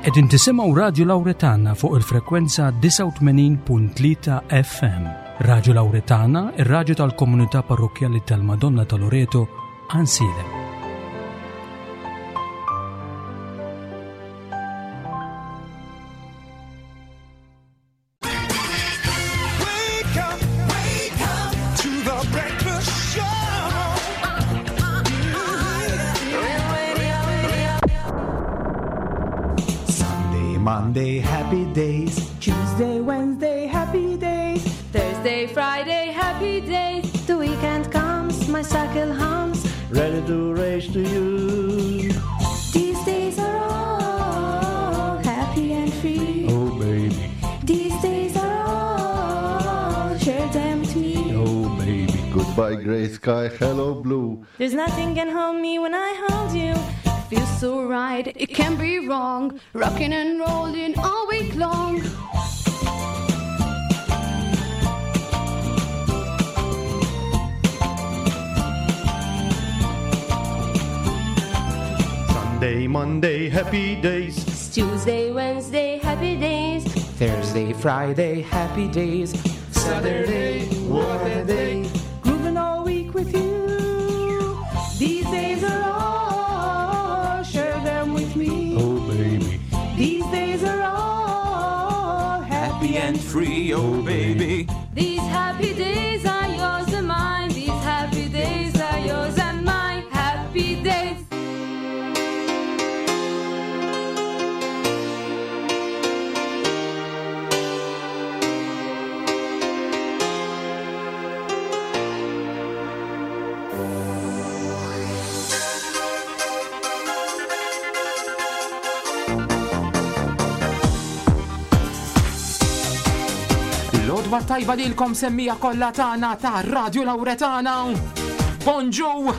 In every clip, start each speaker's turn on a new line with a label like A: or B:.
A: Qegħdin tisimgħu Radju Lawretana fuq il-frekwenza 89.3 FM. Radju Lawretana, ir-radju tal-komunità parrokkjali tal-Madonna ta' Loreto, Għansielem.
B: Sunday, Monday, happy days.
C: Tuesday, Wednesday, happy days.
D: Thursday, Friday, happy days.
E: The weekend comes, my cycle hums.
B: Ready to race to you.
E: These days are all happy and free.
B: Oh, baby.
E: These days are all, share them with me.
B: Oh, baby.
F: Goodbye, gray sky. Hello, blue.
E: There's nothing can hold me when I hold you.
D: Feels so right, it can't be wrong. Rocking and rolling all week long.
B: Sunday, Monday, happy days.
E: It's Tuesday, Wednesday, happy days.
G: Thursday, Friday, happy days.
B: Saturday, what a day.
C: Grooving all week with you. These days are all, share them with me.
B: Oh, baby.
C: These days are all
G: Happy and free, oh baby.
D: These happy days are yours and mine. These happy days are yours and mine. Happy days.
G: L-odwa tajba lilkom semmija kollha tagħna ta' Radio Lauretana. Bonġu!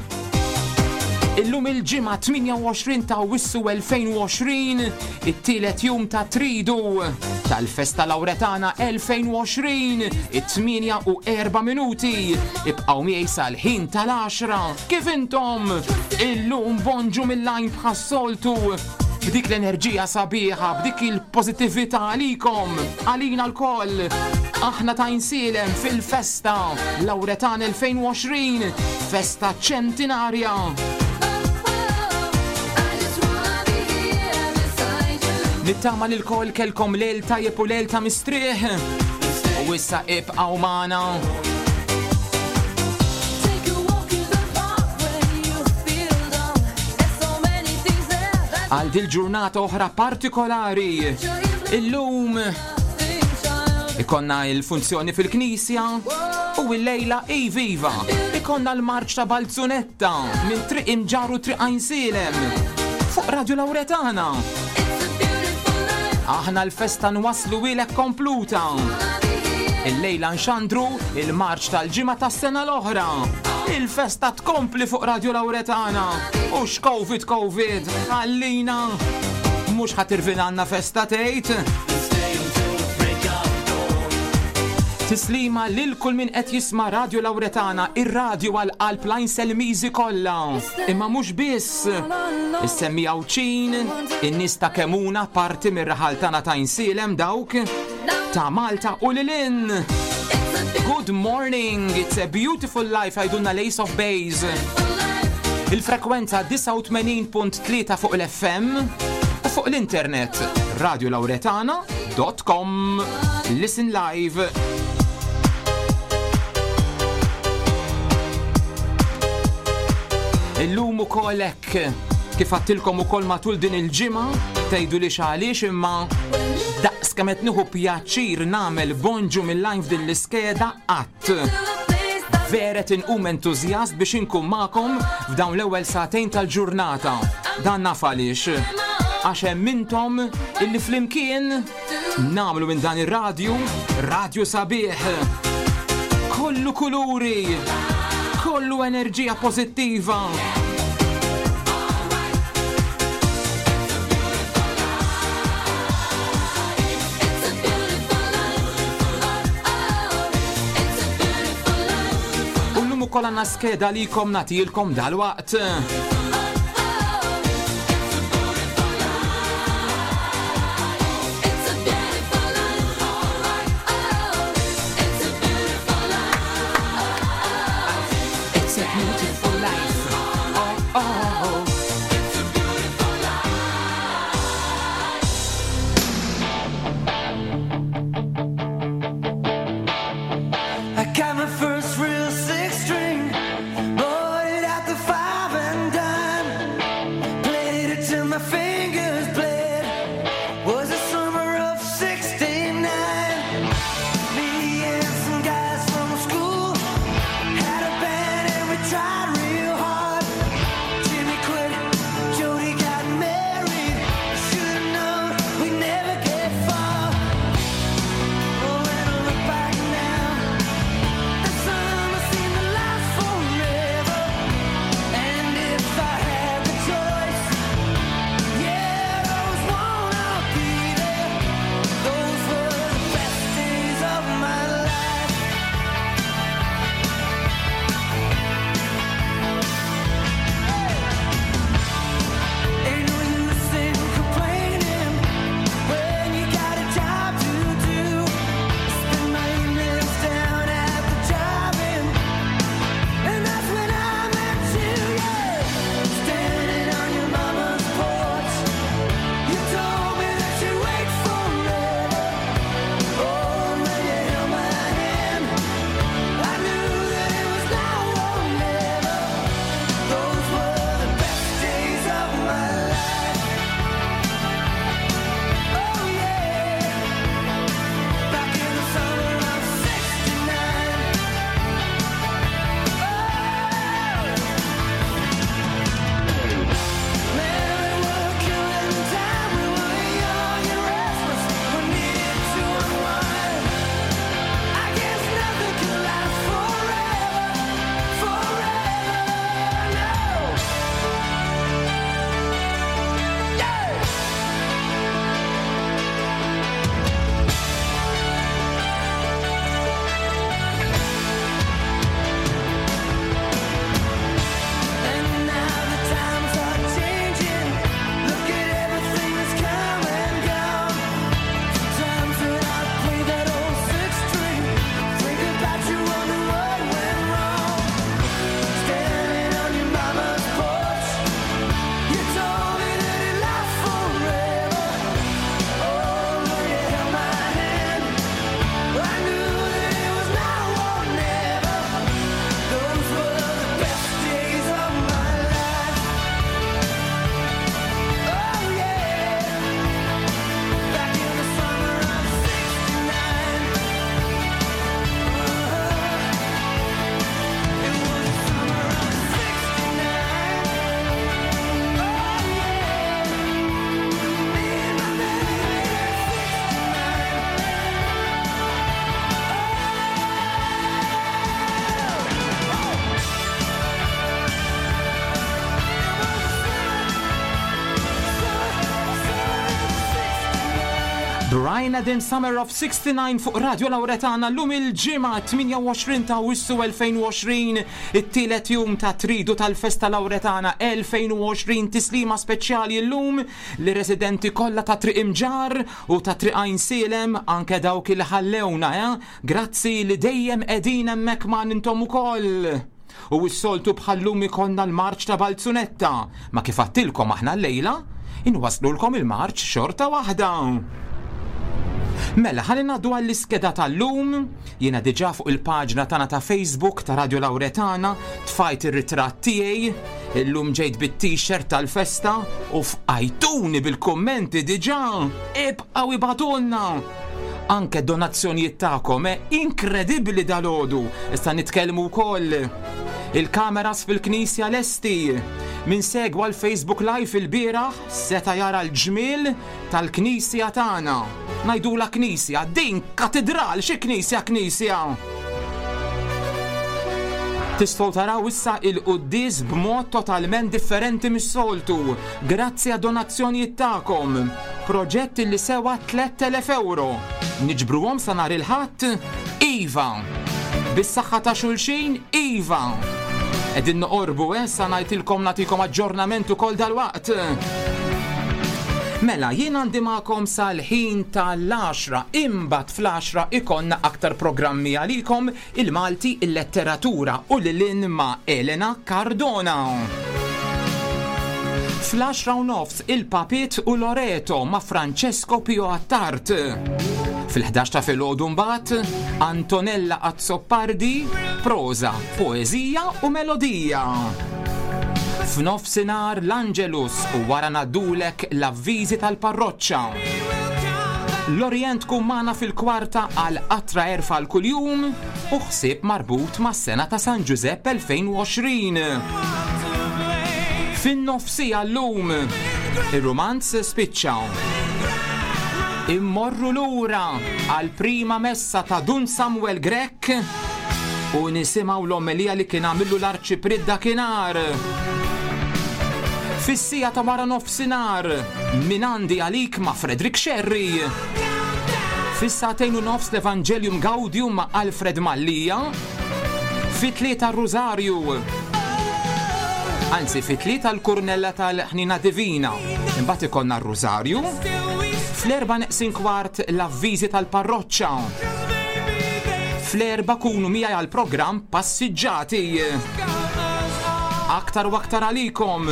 G: Illum il-ġimgħa 28 ta' Wissu 2020, it-tielet jum ta' Tridu tal-Festa Lauretana 2020, it-8 u 4 minuti. Ibqgħu miegħi sal-ħin tal-10. Kif intom? Illum bonġu mill-lajn bħas-soltu. B'dik l-enerġija sabiħa, b'dik il-pożittività għalikom, għalina lkoll. Aħna ta' Għajnsielem fil-festa Lauretan 2020, festa ċentinarja. Nittama li lkoll kelkom lejl tajjeb u lejl ta' mistrieħ. U issa ibqgħu magħna. Għal dil-ġurnata oħra partikolari. Illum ikonna il-funzjoni fil-knisja u l-lejla iviva. Ikonna l-marċ ta' Balzunetta minn Triq Imġarr u Triq Għajnsielem fuq Radio Lauretana. Aħna l-festa nwaslu ilek kompluta. Il-lejla nxandru il-marċ tal-ġimgħa tas-sena l-oħra. Il-festa tkompli fuq Radio Lauretana. U x'Covid Covid, ħallina. Mhux ħa tirvinanna festa tgħid. Tislima lil kull min qed jisma' Radio Lauretana, ir-radju għal qalb l-Għajnselmiżi kollha. Imma mhux biss. Is-semmi Għawdxin, in-nies ta' Kemuna parti mir-raħal tagħna ta' Għajnsielem dawk ta' Malta u lil hinn. Good morning, it's a beautiful life għajdulna l-Ace of Base. Il-frekwenza 89.3 fuq l-FM u fuq l-internet radiolauretana.com. Listen live. Illum ukoll hekk kif għattilkom ukoll matul din il-ġimgħa tgħidu li għaliex imma daqs kemm qed nieħu pjaċir nagħmel bonġu mill-live din l-iskeda qatt. Vera qed inqum entużjast biex inkun magħkom f'dawn l-ewwel sagħtejn tal-ġurnata. Dan naf għaliex. Għax hemm intom illi flimkien nagħmlu minn dan ir-radju radju sabiħ. Kollu kuluri, kollu enerġija pożittiva. U llum ukoll għandna skeda likom nagħtilkom dalwaqt. beautiful life. Oh, oh, oh.
H: It's a beautiful life.
I: I got my first real six string, bought it at the five and dime, played it till my fingers bled. Was the summer of '69. Me and some guys from school had a band and we tried real hard. Jimmy quit, Jody got married. Should've known we'd never get far. Oh, when I look back now. The summer seemed to last forever, and if I had the choice, yeah, I'd always wanna be there. Those were the best days of my life. Ain't no use in complaining when you got a job to do. Spend my evenings down at the drive-in, and that's when I met you. Yeah, standing on your mama's porch, you told me that you wait forever. Oh, when you held my hand, I knew that it was now or never. Those were the best days of my life. Oh yeah. Back in the summer of '69. Oh, man, we were killing time. We were young and restless. We needed to unwind. I guess nothing can last forever, forever. No. Yeah. And now the times are changing. Look at everything that's come and gone. Sometimes when I play that old six string, think about you, wonder what went wrong. Standing on your mama's porch, you told me that it lasts forever. Oh, when you held my hand, I knew that it was now or never. Those were the best days of my life. Oh yeah. Back in the summer of '69. It was the summer of '69. Oh yeah. Me and my baby at '69.
G: Brian Adams Summer of 69 fuq Radio Lauretana llum il-ġimgħa 28 ta' Awwissu 2020, it-tielet jum ta' tridu tal-Festa Lauretana 2020 tislima speċjali llum li residenti kollha ta' Triq Imġarr u ta' Triq Għajnsielem anke dawk il ħallewna, eh? Grazzi li dejjem qegħdin hemmhekk ma' intom ukoll. U s-soltu bħallum ikollna l-marċ ta' Balzunetta, ma kif għattilkom aħna llejla, inwaslulkom il-marċ xorta waħda. Mela, ħalli ngħaddu għall-iskeda tal-lum. Jiena diġà fuq il-paġna tagħna ta' Facebook ta' Radio Lauretana tfajt ir-ritratt tiegħi. Illum ġejt bit-t-shirt tal-festa u fqajtuni bil-kummenti diġà. Ibqgħu ibagħtulna. Anke donazzjonijiet tagħkom, eh, inkredibbli dalodu. Issa nitkellmu wkoll. Il-kameras fil-knisja lesti. Min segwa l-Facebook Live il-bieraħ seta' jara l-ġmiel tal-knisja tagħna. Ngħidula knisja, din katedral, xi knisja knisja. Tistgħu taraw issa il-quddies b'mod totalment differenti mis-soltu, grazzi għad donazzjonijiet tagħkom. Proġett li sewa 3000 euro. Niġbruhom sa nhar il-Ħadd? Iva! Bis-saħħa ta' xulxin? Iva! Qegħdin noqorbu, eh, sa ngħidilkom nagħtikom aġġornament ukoll dalwaqt. Mela, jien għandi magħkom sal-ħin tal-10, imbagħad fl-10 ikonna aktar programmi għalikom il-Malti, il-letteratura u lilin ma' Elena Cardona. Fl-10 u nofs il-Papit u Loreto ma' Francesco Pio Attard. Fil-11 ta' filgħodu mbagħad Antonella Azzopardi, proża, poeżija u melodija. F'nofsinhar l-Angelus u wara ngħaddulek l-avviżi tal-parroċċa. L-Orient tkun magħna fil-kwarta għal qatra għerf għal kuljum u ħsieb marbut mas-sena ta' San Ġużepp 2020. Fin-nofsija llum, ir-rumanz spiċċa. Immorru lura għall-prima messa ta' Dun Samuel Grech u nisimgħu l-omelija li kien għamillu l-Arċipriet dakinhar. Fis-siegħa ta' wara nofsinhar, Min għandi għalik ma' Frederick Scerri. Fis-sagħtejn u nofs l-Evangelium Gaudium ma' Alfred Mallia. Fit-tlieta r-Rużarju. Anzi, fit-tlieta l-Kurnella tal-Ħnina Divina. Imbagħad ikollna r-Rużarju. Fl-erba' neqsin kwart l-avviżi tal-parroċċa. Fl-erba' kunu miegħi għall-programm Passiġġati. Aktar u aktar għalikom.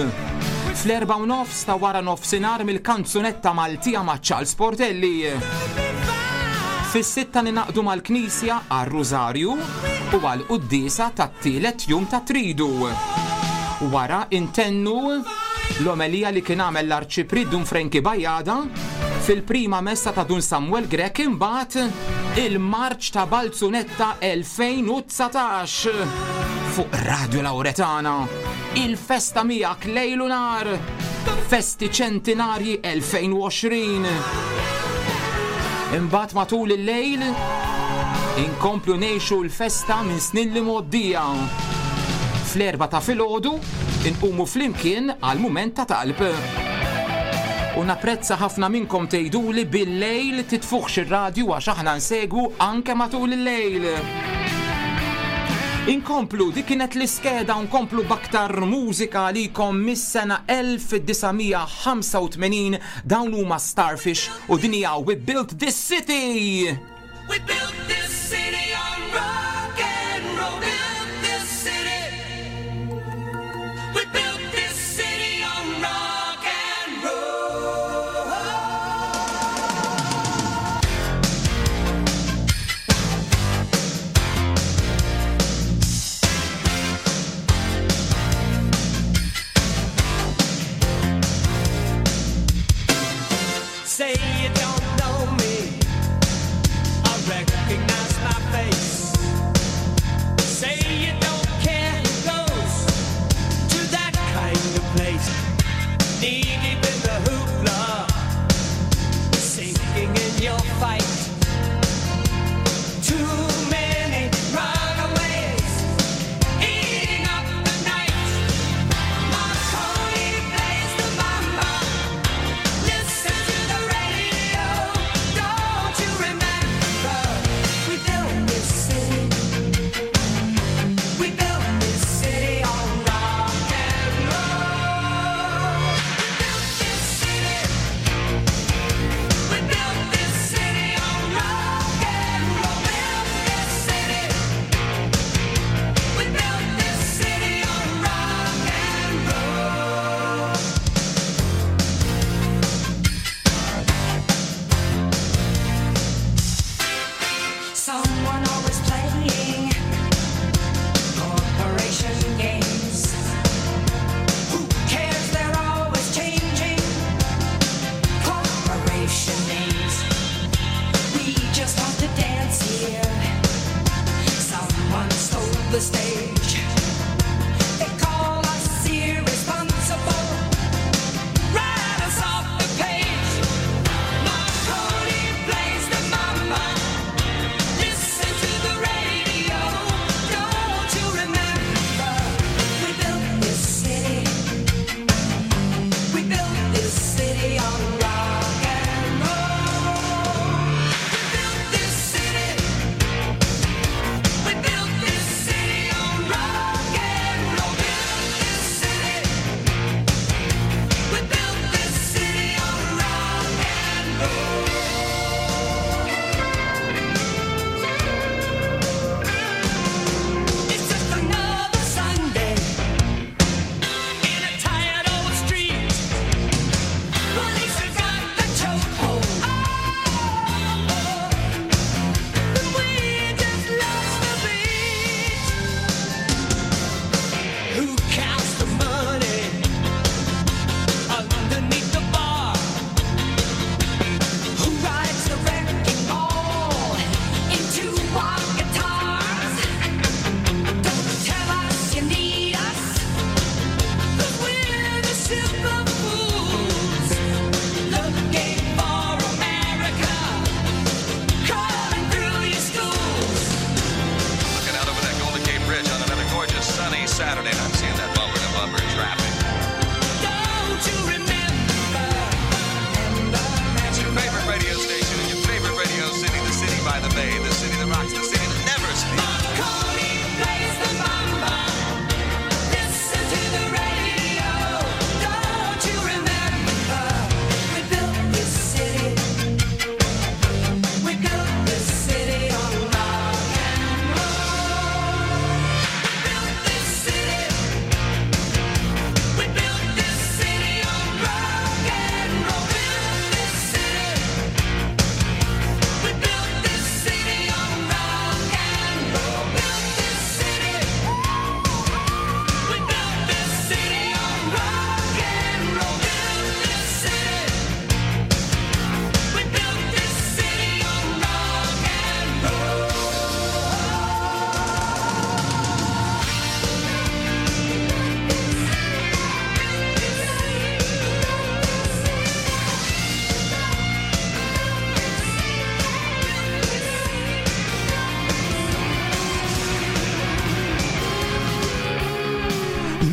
G: Fl-erba' u nofs ta' wara nofsinhar mill-kanzunetta Maltija ma' Charles Portelli. Fis-sitta ninaqdu mal-Knisja għar-Rużarju u għall-quddiesa tat-tielet jum ta' Tridu. Wara intennu l-omelija li kien għamel l-Arċipriet Dun Frenki Bajada fil-prima messa ta' Dun Samuel Grech imbagħad il-Marċ ta' Balzunetta 2019 fuq Radio Lauretana. Il-festa miegħek lejl u nhar. Festi ċentinarji 2020. Imbagħad matul il-lejl inkomplu ngħixu l-festa minn snin li mgħoddija. Fl-erba ta' filgħodu inqumu flimkien għal mument ta' talb. U napprezza ħafna minnkom tgħiduli bil-lejl titfuħx ir-radju għax aħna nsegwu anke matul il-lejl. Inkomplu, dik kienet l-iskeda nkomplu b'aktar mużika għalikom mis-sena 1985 dawn huma Starfish u din hija We Built This City.
H: We built this city on rock and roll. Built this city. We built this city on rock and roll. Say you don't know me. I recognize my face. Say you don't care who goes to that kind of place. Knee deep in the hoopla, sinking in your fight. Too many runaways, eating up the night. Marconi plays the mamba. Listen to the radio.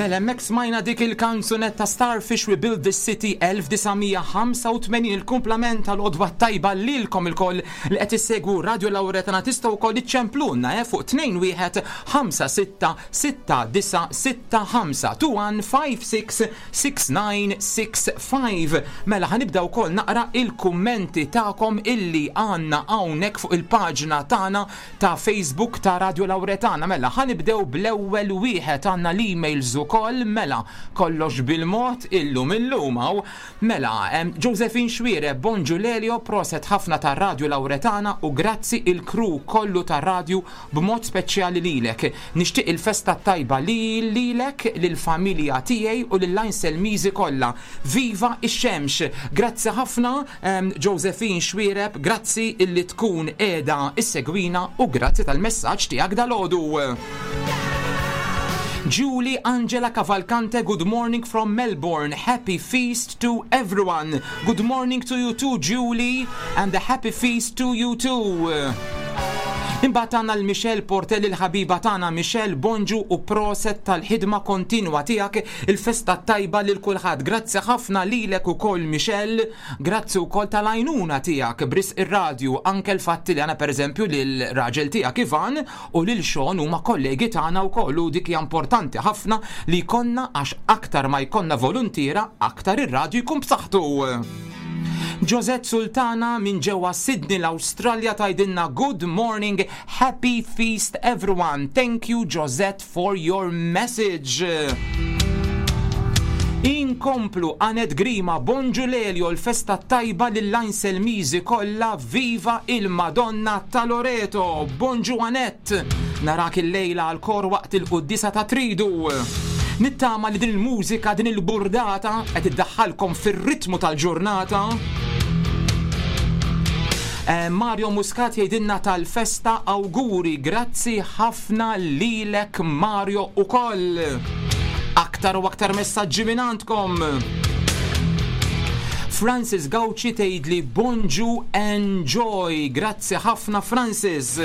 G: Mela hemmhekk smajna dik il-kanzunetta Starfish We Build This City 1985 il-kumplament tal-għodwa tajba lilkom ilkoll li qed issegwu Radio Lauretana tistgħu wkoll iċċemplulna eh, fuq 21 56 69 65 21 56 6965. Mela ħanibda wkoll naqra il-kummenti tagħkom illi għandna hawnhekk fuq il-paġna tagħna ta' Facebook ta' Radio Lauretana. Mela, ħa nibdew bl-ewwel wieħed għandna l-emails ukoll, mela, kollox bil-mod illum illum hawn. Mela, Josephine Xuereb, Bonġu Lelio, proset ħafna ta' Radio Lauretana u grazzi il-crew kollu ta' radju b'mod speċjali lilek. Nixtieq il-festa t-tajba li lilek, lill-familja tiegħi u lill-Għajnselmiżi kollha. Viva x-xemx! Grazzi ħafna Josephine Xuereb, grazzi illi tkun qiegħda issegwina u grazzi tal-messaġġ tiegħek dalgħodu. Julie Angela Cavalcante, good morning from Melbourne. Happy feast to everyone. Good morning to you too, Julie, and a happy feast to you too. Imbagħad għandna l-Michelle Portelli l-ħabiba tagħna Michelle bonġu u proset tal-ħidma kontinwa tiegħek il-festa tajba lil kulħadd. Grazzi ħafna lilek ukoll Michelle, grazzi wkoll tal-għajnuna tiegħek b'risq ir-radju anke l-fatt li għandna pereżempju lil raġel tiegħek Ivan u lil Sean huma kollegi tagħna wkoll u dik hija importanti ħafna li jkollna għax aktar ma jkollna voluntiera aktar ir-radju jkun b'saħħtu. Josette Sultana minn ġewwa Sydney l-Awstralja tgħidilna good morning, happy feast everyone. Thank you Josette for your message. Inkomplu Anet Grima, bonġu Lelio, l-festa tajba lill-Għajnselmiżi kollha, viva il-Madonna ta' Loreto. Bonġu Anet, narak il-lejla għal-kor waqt il-quddiesa ta' Tridu. Nittama li din il-mużika, din il-burdata qed iddaħħalkom fir-ritmu tal-ġurnata. Eh, Mario Muscat jgħidilna tal-festa awguri, grazzi ħafna lilek Mario ukoll. Aktar u aktar messaġġi minn għandkom. Francis Gauci tgħidli bonġu enjoy. Grazzi ħafna Francis.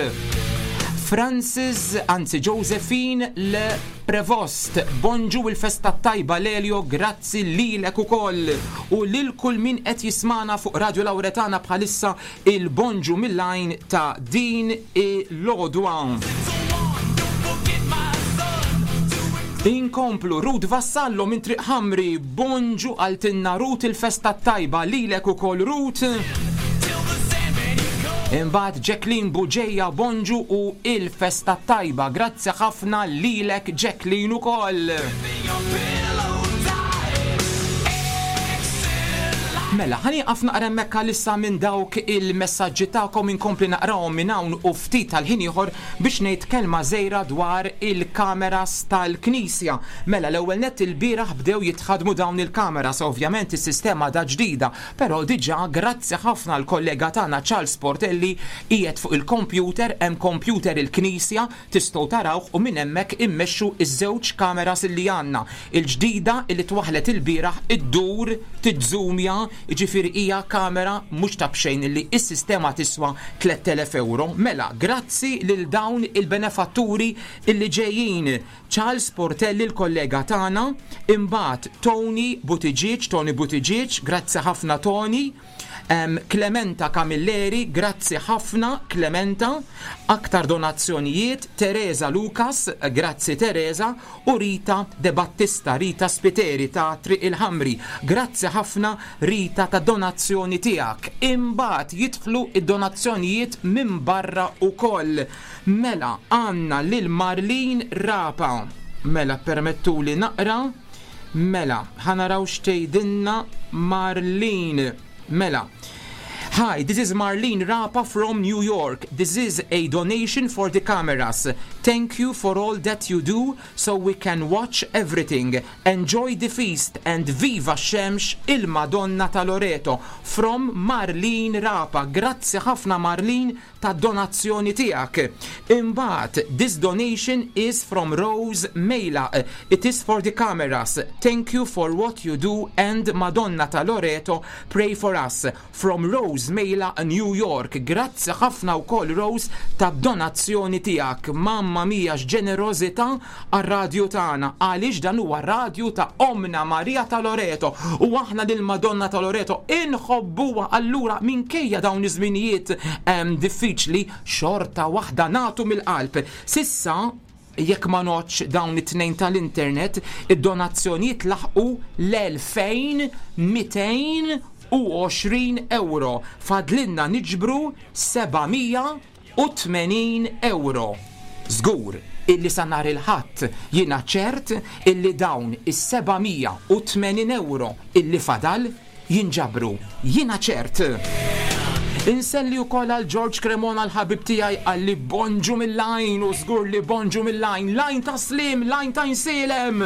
G: Francis, anzi Josephine Le Prevost, bonġu il-festa tajba Lelio, grazzi lilek ukoll u lil kull min qed jismana fuq Radio Lauretana bħalissa il-bonġu mill-għajn ta' din il-għodwa. Inkomplu Ruth Vassallo minn Triq Ħamri, bonġu għaltinna Ruth il-festa tajba lilek ukoll Ruth. Imbagħad Jacqueline Buġeja bonġu u il-festa tajba. Grazzi ħafna lilek Jacqueline ukoll. Mela, ħa nieqaf naqra hemmhekk għalissa minn dawk il-messaġġi tagħkom inkompli naqrahom minn hawn u ftit tal-ħin ieħor biex ngħid kelma żgħira dwar il-kameras tal-Knisja. Mela, l-ewwel nett ilbieraħ bdew jitħaddmu dawn il-kameras, ovvjament is-sistema għadha ġdida, però diġà grazzi ħafna l-kollega tagħna Charles Portelli qiegħed fuq il-kompjuter, hemm kompjuter il-Knisja, tistgħu tarawh u minn hemmhekk immexxu ż-żewġ kameras illi għandna. Il-ġdida illi twaħħlet ilbieraħ iddur, tizzumja, jiġifieri hija kamera mhux ta' b'xejn illi s-sistema tiswa 3,000 ewro. Mela, grazzi lil dawn il-benefatturi illi ġejjin. Charles Portelli l-kollega tagħna, imbagħad Tony Buttigieg, Tony Buttigieg, grazzi ħafna Tony. Clementa Camilleri, grazzi ħafna Clementa, aktar donazzjonijiet, Teresa Lucas, grazzi Teresa, u Rita De Battista, Rita Spiteri ta' Triq il-Ħamri, grazzi ħafna Rita ta' donazzjoni tiegħek. Imbagħad jidħlu id-donazzjonijiet minn barra ukoll. Mela għandna lil Marlene Rapa. Mela permettuli naqra. Mela, ħa naraw x'tgħidilna Marlene. Mela. Hi, this is Marlene Rapa from New York. This is a donation for the cameras. Thank you for all that you do so we can watch everything. Enjoy the feast and viva xemx il-Madonna ta' Loreto. From Marlene Rapa. Grazzi ħafna Marlene ta' donazzjoni tiegħek. Imbagħad, this donation is from Rose Mejla. It is for the cameras. Thank you for what you do and Madonna ta' Loreto pray for us. From Rose Mejla, New York. Grazzi ħafna wkoll Rose ta' donazzjoni tiegħek. Mamma Mamma mia x'ġenerożità għar-radju tagħna għaliex dan huwa radju ta' Ommna Marija ta' Loreto u aħna lil Madonna ta' Loreto inħobbuha allura minkejja dawn iż-żminijiet diffiċli xorta waħda nagħtu mill-qalb. S'issa jekk ma ngħoddx dawn it-tnejn tal-internet, id-donazzjonijiet laħqu l-2220 ewro. Fadlilna niġbru 780 ewro. Żgur illi sa nhar il-Ħadd jiena ċert illi dawn is-780 ewro illi fadal jinġabru. Jiena ċert. Inselli wkoll għal George Cremona l-ħabib tiegħi qalli bonġu mill-għajn u żgur li bonġu mill-għajn, l-għajn ta' Slim, l-għajn ta' Insielem.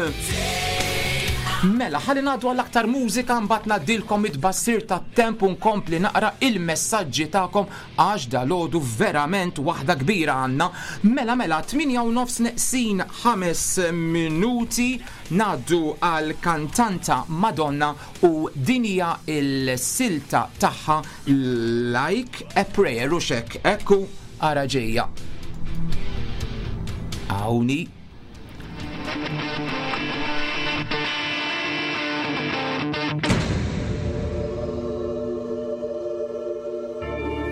G: Mela, ħalli ngħaddu għal aktar mużika mbagħad ngħaddilkom it-tbassir tat-temp u nkompli naqra il-messaġġi tagħkom Għax dalgħodu verament waħda kbira għandna. Mela mela, tmienja u nofs neqsin ħames minuti ngħaddu għal kantanta Madonna u din hija l-silta tagħha Like a Prayer u xek ekku ara ġejja. Hawnhi.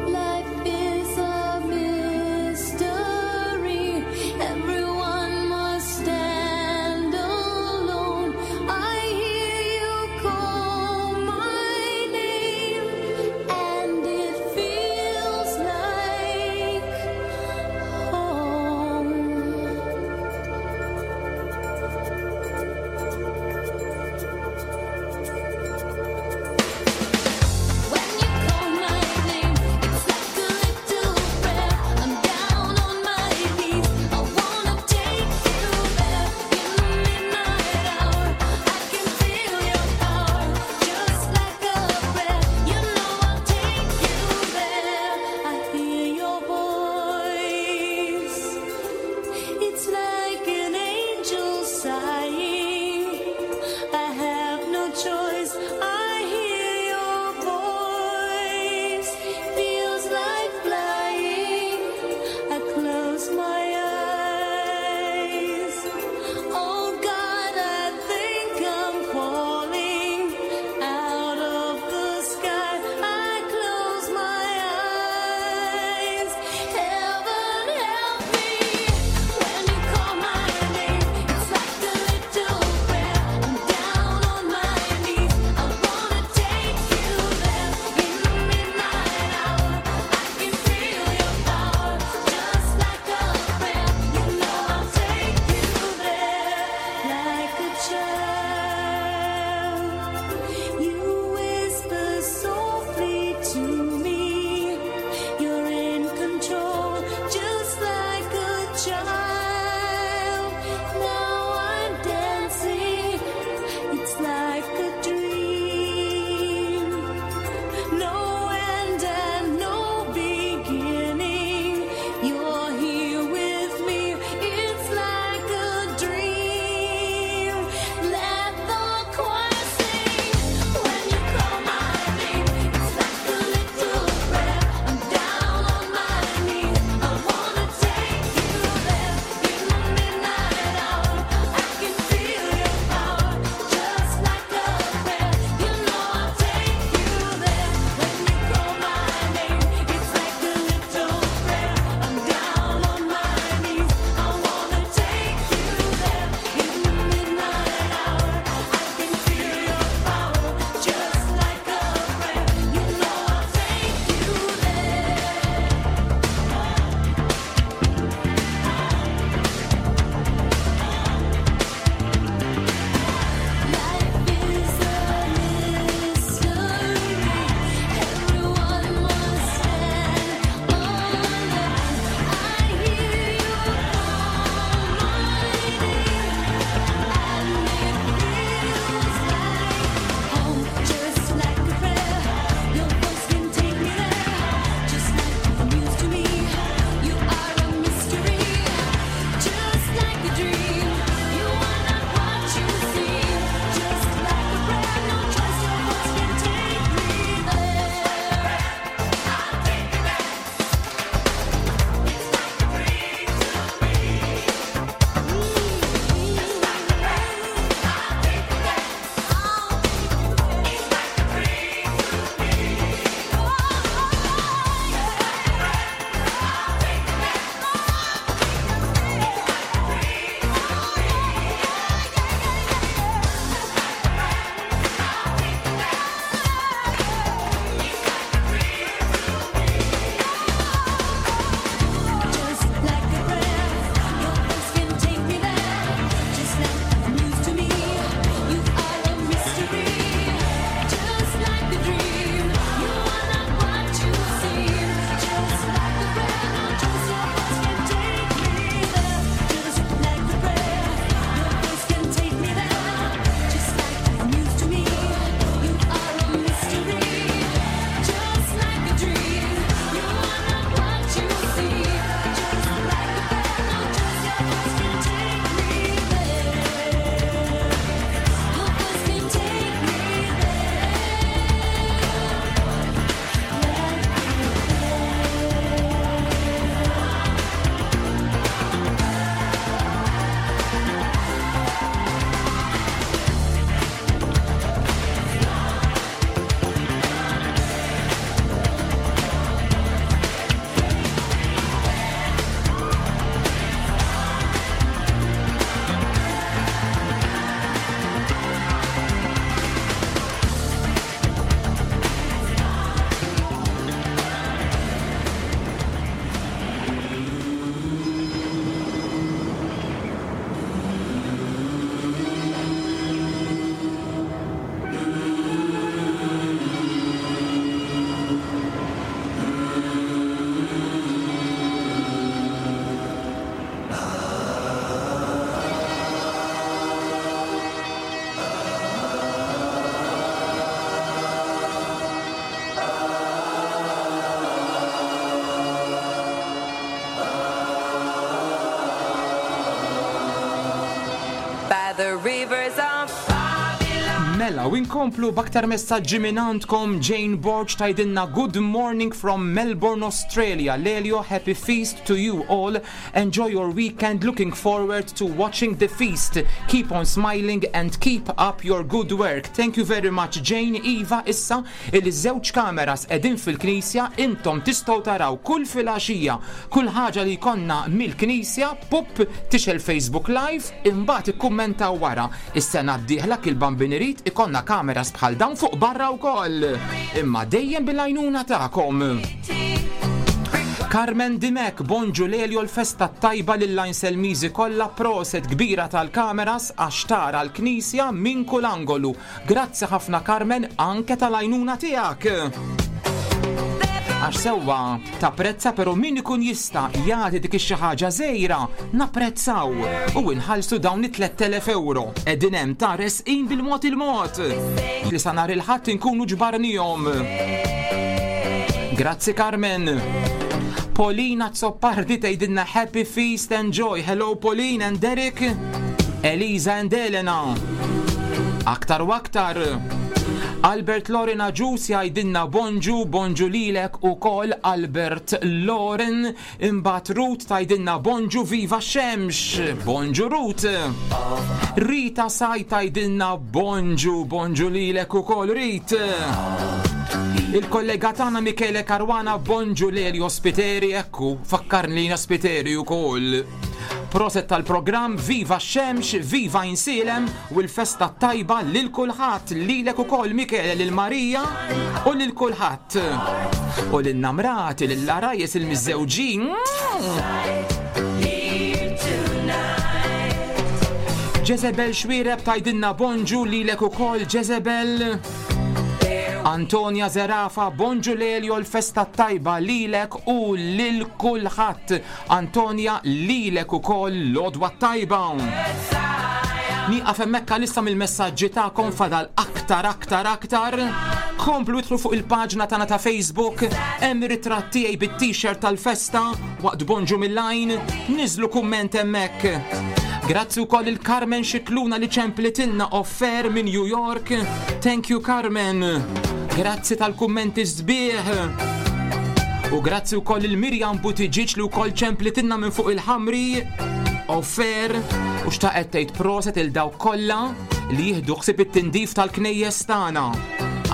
E: Life is a mystery. Everyone must stand alone. I hear you call my name, and it feels like home. When you call my name, it's like a little prayer. I'm down on my knees. I wanna take you there in the midnight hour. I can feel your power, just like a prayer. You know I'll take you there. I hear your voice. It's like an angel sighing. I have no choice. I hear your voice. Feels like flying. I close my eyes. Oh God, I think I'm falling out of the sky. I close my eyes. Heaven help me when you call my name. It's like a little prayer. I'm down on my knees.
G: Mela, u inkomplu b'aktar messaġġi minn għandkom. Jane Borg tgħidilna good morning from Melbourne, Australia. Lelio, happy feast to you all. Enjoy your weekend. Looking forward to watching the feast. Keep on smiling and keep up your good work. Thank you very much, Jane. Iva, issa illi żewġ kameras qegħdin fil-knisja, intom tistgħu taraw kull filgħaxija kull ħaġa li jkollna mill-knisja, pup tixgħel Facebook Live, imbagħad ikkummentaw wara. Is-sena d-dieħla kil Bambin irid ikollna kameras bħal dawn fuq barra wkoll. Imma dejjem bil-għajnuna tagħkom. Carmen Dimech, bonġu Lelio, l-festa t-tajba lill-Għajnselmiżi kollha, proset kbira tal-kameras għax tara l-knisja minn kull angolu. Grazzi ħafna Carmen anke tal-għajnuna tiegħek. Għax sewwa tapprezza però min ikun jista' jagħti dik ix-xi ħaġa żgħira napprezzaw u inħallsu dawn it-3000 ewro. Qegħdin hemm ta' resqin bil-mod il-mod. Li sa nhar il-Ħadd inkunu ġbarnihom. Grazzi Carmen. Polina Zoppardi tgħidilna happy feast and joy. Hello Pauline and Derek. Eliza and Elena. Aktar u aktar. Albert Loren Agius jgħidilna bonġu, bonġu lilek ukoll Albert Loren. Imbagħad Ruth tgħidilna bonġu viva x-xemx. Bonġu Ruth. Rita Saj tgħidilna bonġu, bonġu lilek ukoll Rit. Il-kollega tagħna Michele Caruana bonġu Lelio Spiteri, ekku, fakkarni li jiena Spiteri ukoll. Proset tal-programm, viva x-xemx, viva Għajnsielem u l-festa t-tajba lil kulħadd, lilek ukoll Michele, lil Marija u lil kulħadd. U lil namrati, lil għarajjes il-miżżewġin. Jezebel Xwireb tgħidilna bonġu lilek ukoll Jezebel. Antonia Zerafa, bonġu Lelio l-festa t-tajba lilek u lil kulħadd. Antonia, lilek ukoll l-għodwa t-tajba. Nieqaf hemmhekk għalissa mill-messaġġi tagħkom fadal aktar aktar aktar. Komplu idħlu fuq il-paġna tagħna ta' Facebook, hemm ritratt tiegħi bit-t-shirt tal-festa waqt Bonġu mill-Għajn, niżlu kumment hemmhekk. Grazzi wkoll il Carmen Xikluna li ċemplitilna offer minn New York. Thank you Carmen. Grazzi tal-kummenti sbieħ. U grazzi wkoll il Mirjam Buttigieg li wkoll ċemplitilna minn fuq il-ħamri offer u xtaqet tgħid proset il dawk kollha li jieħdu ħsieb it-tindif tal-knejjes tagħna.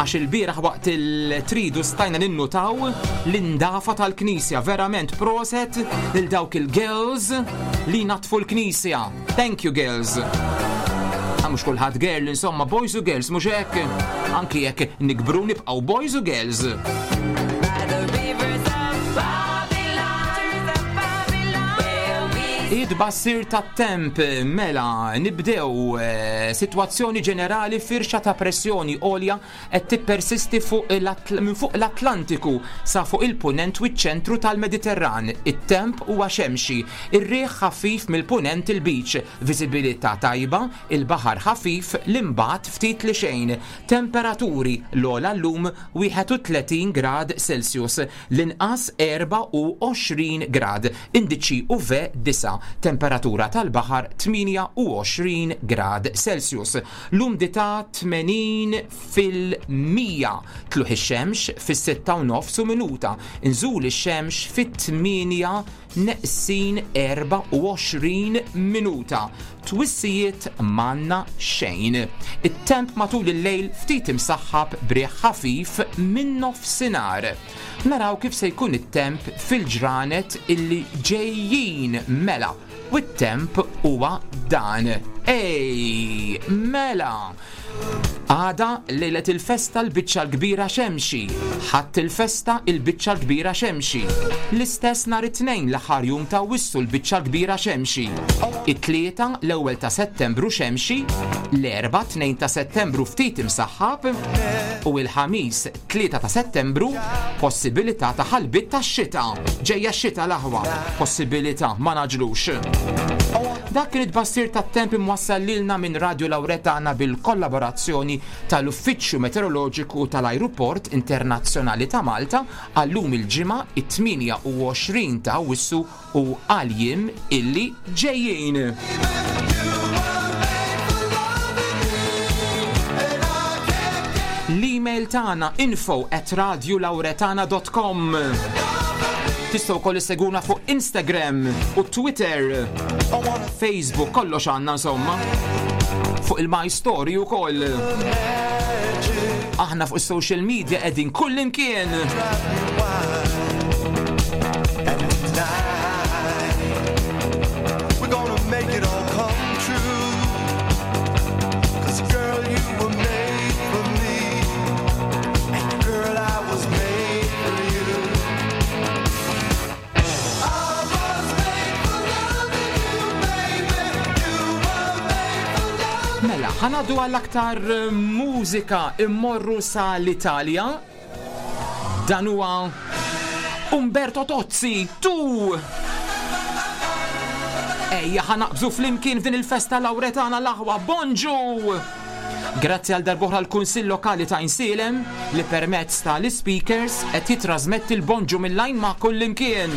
G: Għax il-bieraħ waqt il-tridu stajna ninnutaw l-indafa tal-knisja. Verament proset lil dawk il-girls li natfu l-knisja. Thank you girls. Ah, mhux kulħadd girl, insomma, boys u girls, mhux hekk. Anki jekk nikbru nibqgħu boys u girls. Id-bassir tat-temp mela nibdew eh, sitwazzjoni ġenerali firxa ta' pressjoni għolja qed tippersisti fuq minn fuq l-Atlantiku sa fuq il-Punent u ċ-ċentru tal-Mediterran. It-temp huwa xemxi, ir-riħ ħafif mill-Punent il-Lbiċ, viżibilità tajba, il-baħar ħafif l-imbagħad ftit li xejn. Temperaturi, l-ogħla llum 31 grad Celsius, l-inqas 24 grad, indiċi UV 9, temperatura tal-baħar 28 grad Celsius. L-umdità 80%. Tlugħ ix-xemx fis-sitta u nofs u minuta. Nżul ix-xemx fit-tmienja neqsin 24 minuta. Twissijiet m'għandna xejn. It-temp matul il-lejl ftit imsaħħab b'riħ ħafif min-nofsinhar. Naraw kif se jkun it-temp fil-ġranet illi ġejjin mela. U t-temp huwa dan. Ej, mela! Għada lejlet il-festa l-biċċa l-kbira xemxi. Ħadd il-festa il-biċċa l-kbira xemxi. L-istess nhar it-Tnejn l-aħħar jum ta' Awwissu l-biċċa l-kbira xemxi. It-Tlieta l-ewwel ta' Settembru xemxi, l-Erbgħa 2 ta' Settembru ftit imsaħħab u l-Ħamis 3 ta' Settembru, possibilità ta' ħalbiet tax-xita. Ġejja x-xita l-aħwa, possibilità, ma nagħġlux. Dak kien it-tbassir tat-temp imwassal lilna minn Radio Lauretana bil-kollaborazzjoni tal-Uffiċċju Meteoroloġiku tal-Ajruport Internazzjonali ta' Malta għal-lum il-Ġimgħa, it-28 ta' Awwissu u għall-jiem illi ġejjin. L-email tagħna info@radiolauretana.com. Tistgħu wkoll isseguna fuq Instagram u Twitter, Facebook, kollox għandna insomma. Fuq il-My Story ukoll. Aħna fuq is-social media qegħdin kullimkien.
I: We're gonna make it all come true. 'Cause girl, you were made for me. And girl, I was made for you. I was made for loving you, baby. You were made for loving
G: Mela, ħanadu għall-aktar mużika immorru sa l-Italja. Dan huwa Umberto Tozzi, tu! Ejja ħanaqbżu flimkien f'din il-festa Lauretana l-aħwa, bonġu! Grazzi għal darbohra l-Kunsill Lokali ta' Għajnsielem li permezz ta' l-ispeakers qed jitrasmetti l-bonġu mill-lajn ma' kullimkien.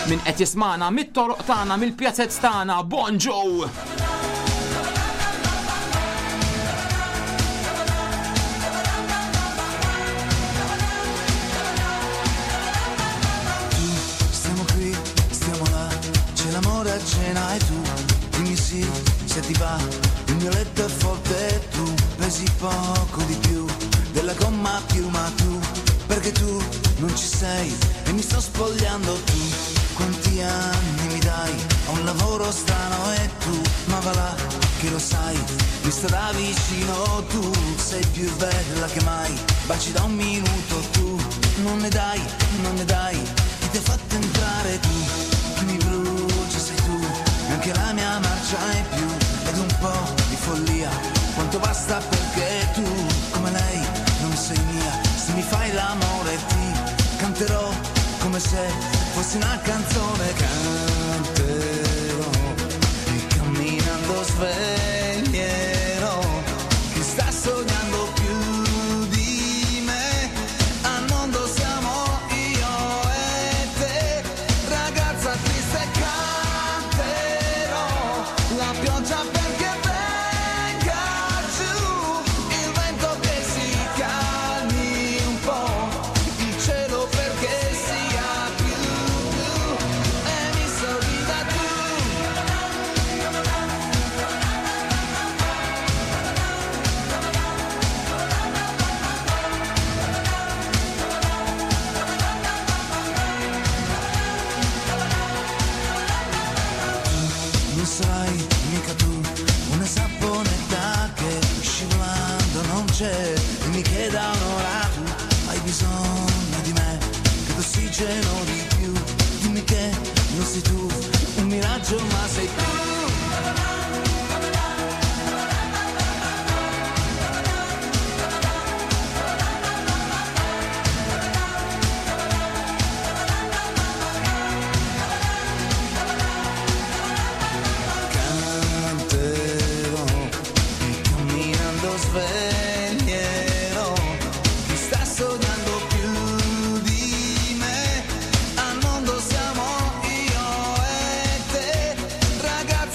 G: Min qed jismagħna mit-toroq tagħna, mill-pjazez tagħna, bonġu!
I: Stiamo qui, stiamo là, c'è l'amore a cena e tu dimmi sì se ti va, il mio letto è forte e tu pesi poco di più della gomma piuma tu, perché tu non ci sei e mi sto spogliando tu, quanti anni mi dai, ho un lavoro strano e tu, ma va là che lo sai, mi sta da vicino tu, sei più bella che mai, baci da un minuto tu, non ne dai, non ne dai, chi ti ha fatto entrare tu, chi mi brucia sei tu, e anche la mia marcia è più, ed un po' di follia, quanto basta perché tu, come lei, non sei mia, se mi fai l'amore ti canterò come se fossi una canzone, canterò e camminando sveglierò chi sta sognando più di me, al mondo siamo io e te, ragazza triste canterò la pioggia perché venga giù, il vento che si calmi un po', il cielo perché sia più blu e mi sorrida tu. Non sarai mica tu una saponetta che scivolando non c'è. Dimmi che da un'ora tu hai bisogno di me, che d'ossigeno di più. Dimmi che non sei tu un miraggio ma sei tu. Canterò e camminando sveglierò chi sta sognando più di me. Al mondo siamo io e te, ragazza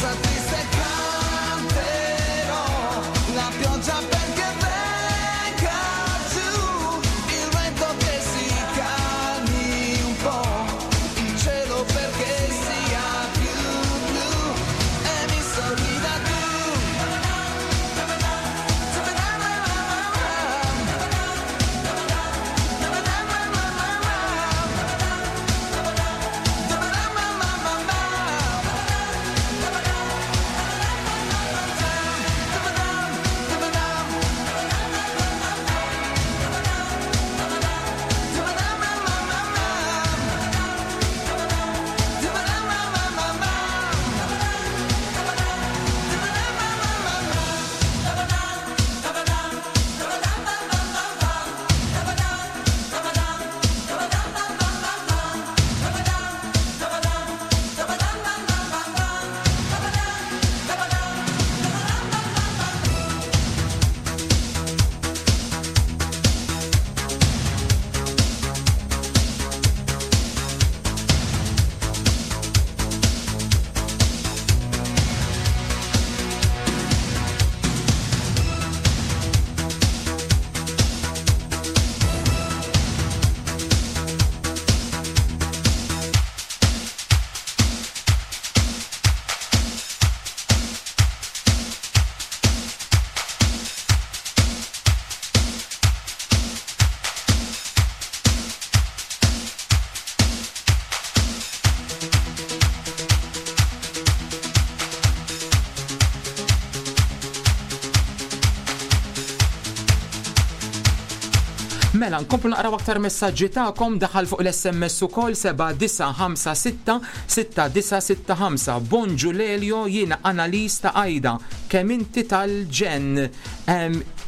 G: Mela, nkomplu naqraw aktar messaġġi tagħkom daħal fuq l-SMS ukoll 7956 6965. Bonġu Lelio, jiena Annalise ta' Ajda. Kemm inti tal-ġenn.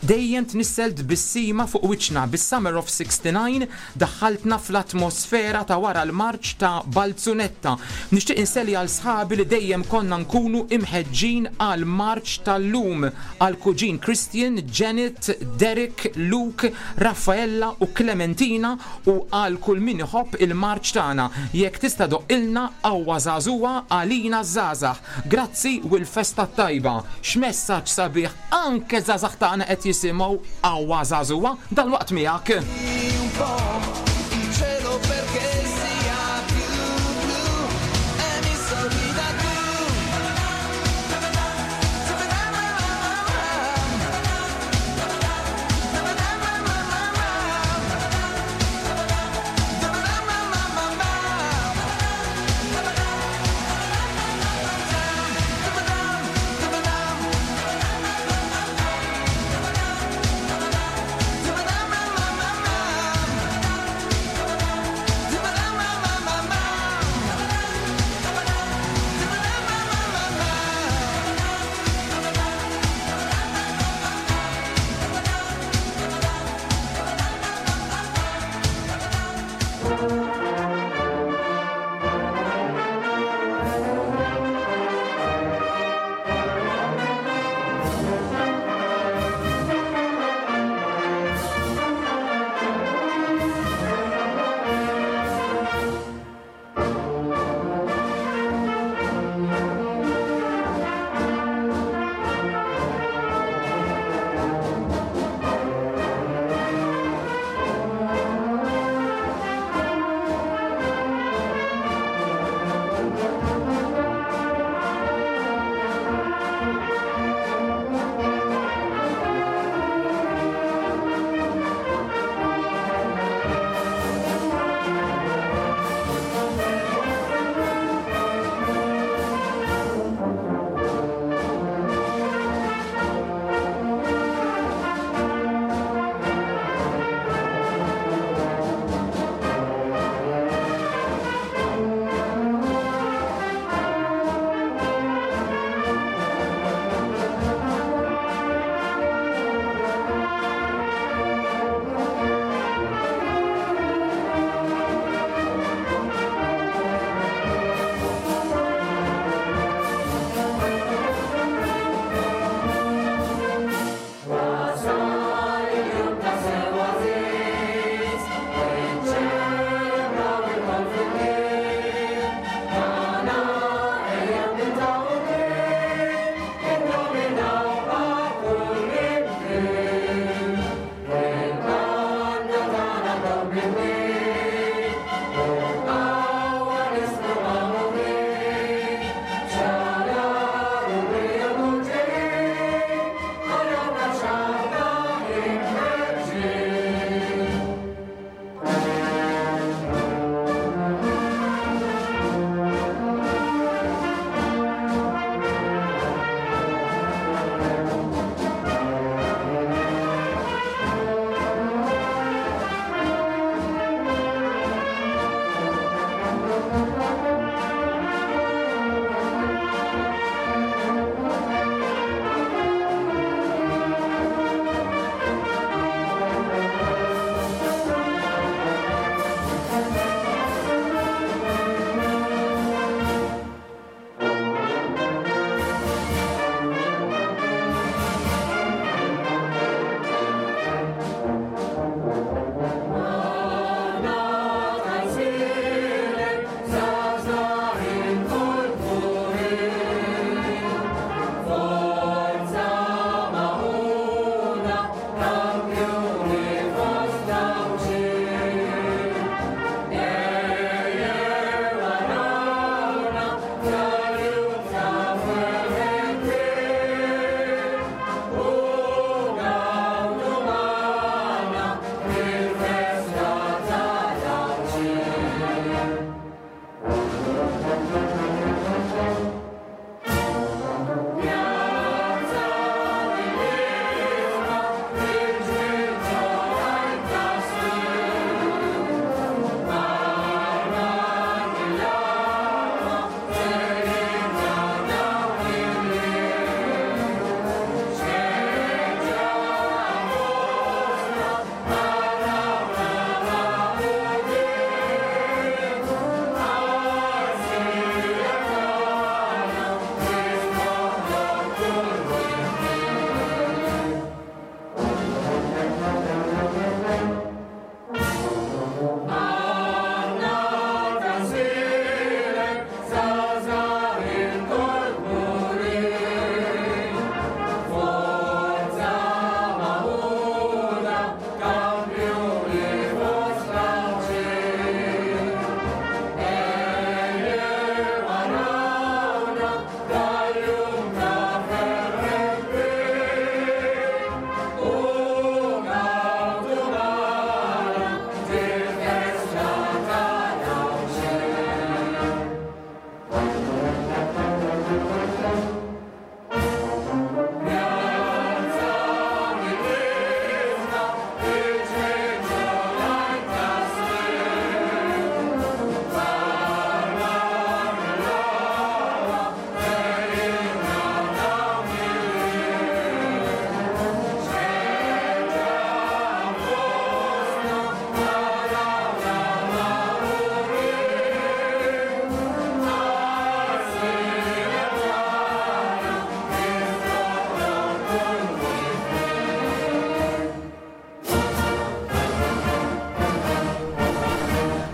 G: Dejjem tnissel tbissima fuq wiċċna bis-Summer of 69 daħħaltna fl-atmosfera ta' wara l-marċ ta' Balzunetta. Nixtieq inselli għal sħabi li dejjem konna nkunu imħeġġin għal marċ tal-lum għal kuġin Christian, Janet, Derek, Luke, Raffaella u Clementina u għal kull min iħobb il-marċ tagħna. Jekk tista' doqqilna Qawwa Żagħżugħa għalina ż-żgħażagħ. Grazzi u l-festa t-tajba. X'messaġġ sabiħ anke żgħażagħ tagħna qed jisimgħu Qawwa Żagħżugħa dalwaqt miegħek.
I: Un po' il cielo perché sia più blu e mi sorrida tu.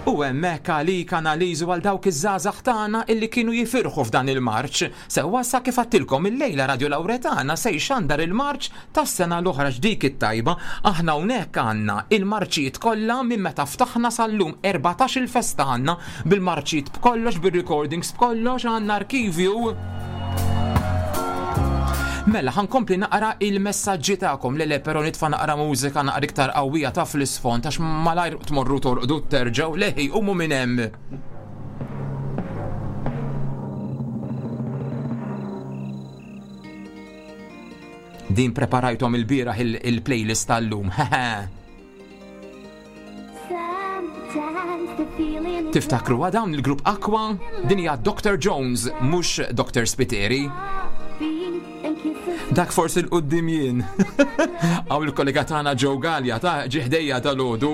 G: U hemmhekk għalik analiżu għal dawk iż-żgħażagħ tagħna illi kienu jifirħu f'dan il-marċ. Sewwa sa kif għadtilkom illejla Radio Lauretana se jxandar il-marċ tas-sena l-oħra x'dik it-tajba. Aħna hawnhekk għandna il-marċijiet kollha minn meta ftaħna sal-lum 14-il festa għandna bil-marċijiet b'kollox, bir-recordings b'kollox, għandna arkivju. Mela, ħankompli naqra il-messaġġi tagħkom. Le le, però nitfa' naqra mużika naqra iktar qawwija ta' fl-isfond għax malajr tmorru torqdu terġgħu leħi qumu minn hemm. Din preparajthom il-bieraħ il-playlist tal-lum. Tiftakru dawn il-grupp Aqua? Din hija Dr. Jones, mhux Dr. Spiteri. Dak forsi l-qoddim jien. Għaw il-kollega tagħna Joe Gallia ta' ġiħdejja tal-għodu.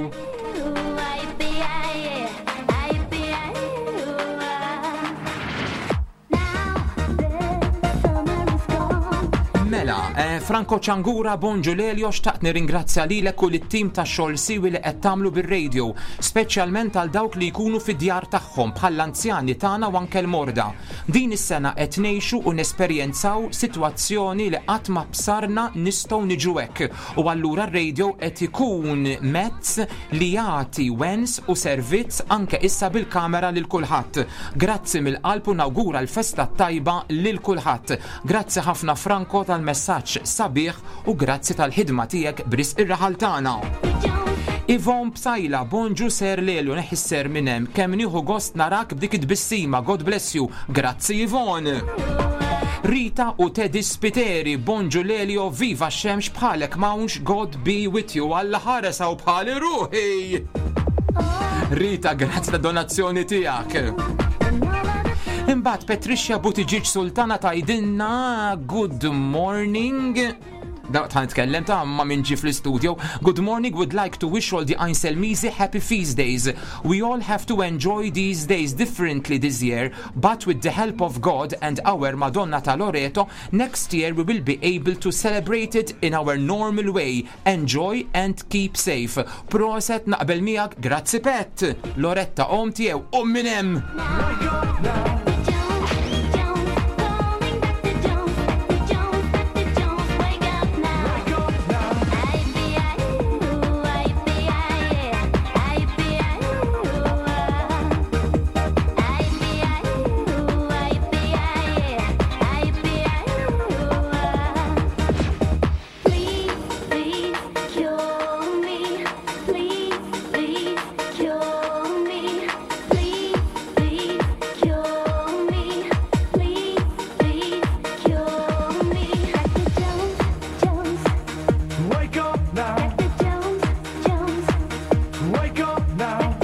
G: Mela, eh, Franco Ċangura, bonġu Lelio, xtaqt nirringrazzja lilek u lit-tim ta' xogħol siwi li qed tagħmlu bir-radio, speċjalment għal dawk li jkunu fid-djar tagħhom bħall-anzjani tagħna u anke l-morda. Din is-sena qed ngħixu u nesperjenzaw sitwazzjoni li qatt ma bsarna nistgħu niġu hekk u allura r-radio qed ikun mezz li jagħti wens u servizz anke issa bil-kamera lil kulħadd. Grazzi mill-qalb u nawgura l-festa t-tajba lil kulħadd. Grazzi ħafna Franco tal-messaġġ sabiħ u grazzi tal-ħidma tiegħek b'risq ir-raħal tagħna. Yvonne Psaila, bonġu Sir Lelio, neħi s-ser minn hemm, kemm nieħu gost narak b'dik it-tbissima, God bless you. Grazzi Yvonne. Rita u Teddy Spiteri, bonġu Lelio, viva x-xemx bħalek m'hawnx, God be with you, Alla ħares hawn bħali ruħi. Rita, grazzi ta' donazzjoni tiegħek. Imbagħad Patricia Buttigieg Sultana tgħidilna good morning. Da ta' nitkellem ta' ma' min ġie fl-istudio. Good morning, would like to wish all the Einselmizi happy feast days. We all have to enjoy these days differently this year, but with the help of God and our Madonna ta' Loreto, next year we will be able to celebrate it in our normal way. Enjoy and keep safe. Proset naqbel miegħek, grazzi Pet. Loretta om tiegħu, um minn hemm.
H: Wake up now. Wake up now. Wake up now.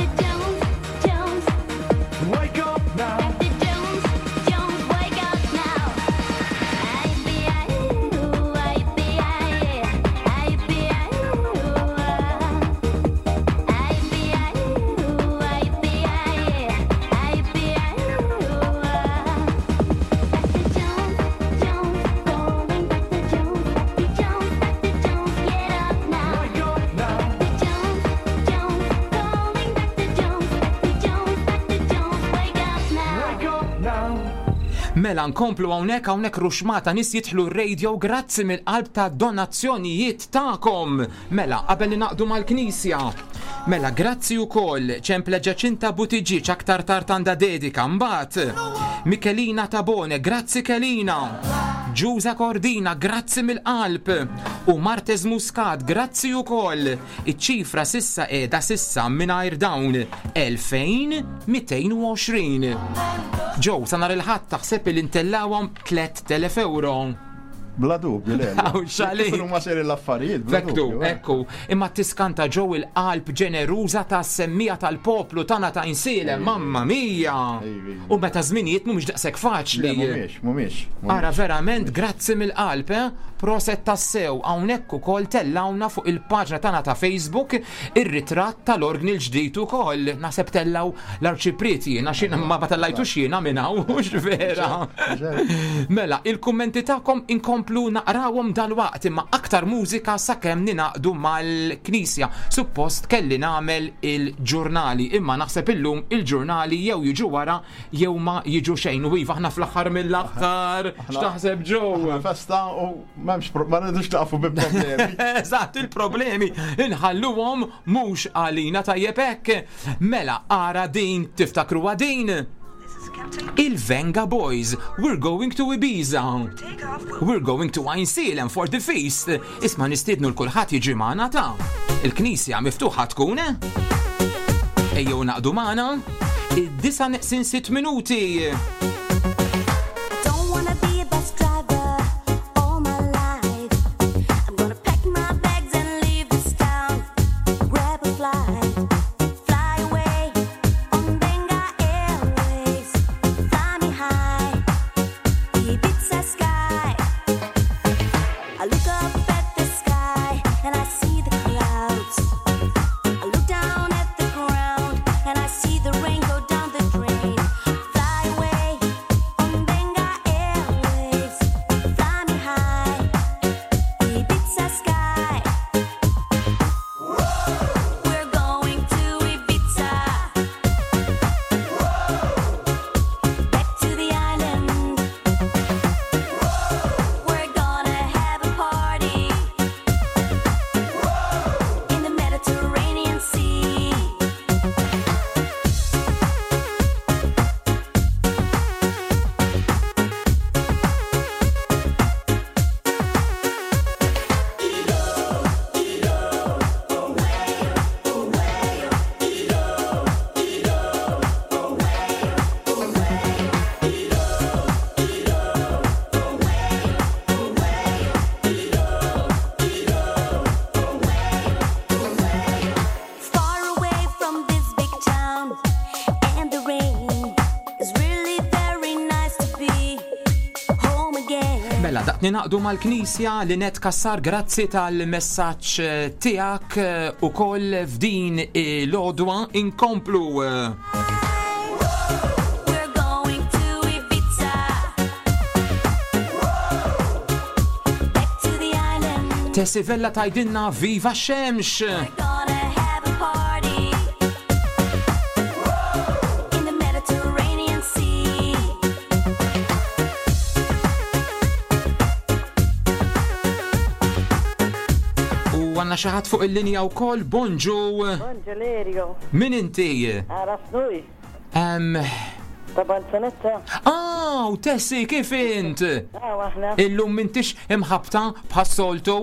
H: Wake up now. Wake up now.
G: Mela nkomplu hawnhekk hawnhekk ruxmata nies jidħlu r-radio grazzi mill-qalb ta' donazzjonijiet tagħkom. Mela qabel ningħaqdu mal-Knisja. Mela grazzi wkoll ċemple Ġaċinta Buttigieg aktar tard għandha dedika mbagħad. Michelina Tabone, grazzi Kelina. Ġuża Cordina, grazzi mill-qalb. U Martez Muscat, grazzi wkoll. Iċ-ċifra sissa qiegħda sissa mingħajr dawn 2220. Joe, sa nhar il-Ħadd taħseb li ntellawhom 3000 euro.
F: Bla dubju, le.
G: Hawn x'għalik.
F: Kif huma seri l-affarijiet, bla
G: Vektu,
F: dubju. eh.
G: ekku, imma tiskanta ġew il-qalb ġeneruża ta' semmija tal-poplu tagħna ta' Insielem, mamma mia!
F: Ejwi.
G: U meta żminijiet mhumiex daqshekk faċli.
F: Le, mhumiex, mhumiex. mhumiex.
G: Ara verament grazzi mill-qalb, eh? Proset tassew hawnhekk ukoll tellawna fuq il-paġna tagħna ta' Facebook ir-ritratt tal-orgni l-ġdid ukoll. Naħseb tellaw l-arċipriet jiena xi ma tellajtux jiena minn hawn, mhux vera. Mela, il-kummenti tagħkom inkomplu Inkomplu naqrawhom dalwaqt imma aktar mużika sakemm ningħaqdu mal-Knisja. Suppost kelli nagħmel il-ġurnali imma naħseb illum il-ġurnali jew jiġu wara jew ma jiġu xejn. U iva aħna fl-aħħar mill-aħħar. X'taħseb Joe?
F: Festa u m'hemmx ma rridux naqfu bi problemi.
G: Eżatt, il-problemi inħalluhom mhux għalina tajjeb hekk. Mela ara din tiftakruha din. Il-Venga Boys, we're going to Ibiza. We're going to Għajnsielem for the feast. Isma' nistiednu l-kulħadd jiġi magħna ta' Il-knisja miftuħa tkun. Ejjew naqdu magħna. Id-disa neqsin sitt minuti.
E: Don't wanna be a bus driver all my life. I'm gonna pack my bags and leave this town. Grab a flight, fly away on Benga Airways. Fly me high, Ibiza sky. I look up at the sky and I see the clouds. I look down at the ground and I see the rain go down the drain. Fly away on Benga Airways. Fly me high, Ibiza sky. We're going to Ibiza. Back to the island. We're gonna have a party in the Mediterranean Sea. Far away from this big town and the rain. It's really very nice to be home again.
G: Mela, daqt ninaqdu mal-Knisja li net kassar grazzi tal-messaġġ tiegħek ukoll f'din l-għodwa inkomplu.
E: We're going to Ibiza. Back to the island.
G: Tessi Vella tajdinna Viva Xemx!
E: Gonna have a party in the Mediterranean Sea.
G: U għanna xaħat fuq il-linja u koll, bonġu,
J: Bonġu
G: min inti?
J: Għarafnuj,
G: Um,
J: ta' Balzanetta.
G: ah, u Tessi, kif int?
J: Ah, aħna.
G: Illum mintix imħabta bħas-soltu?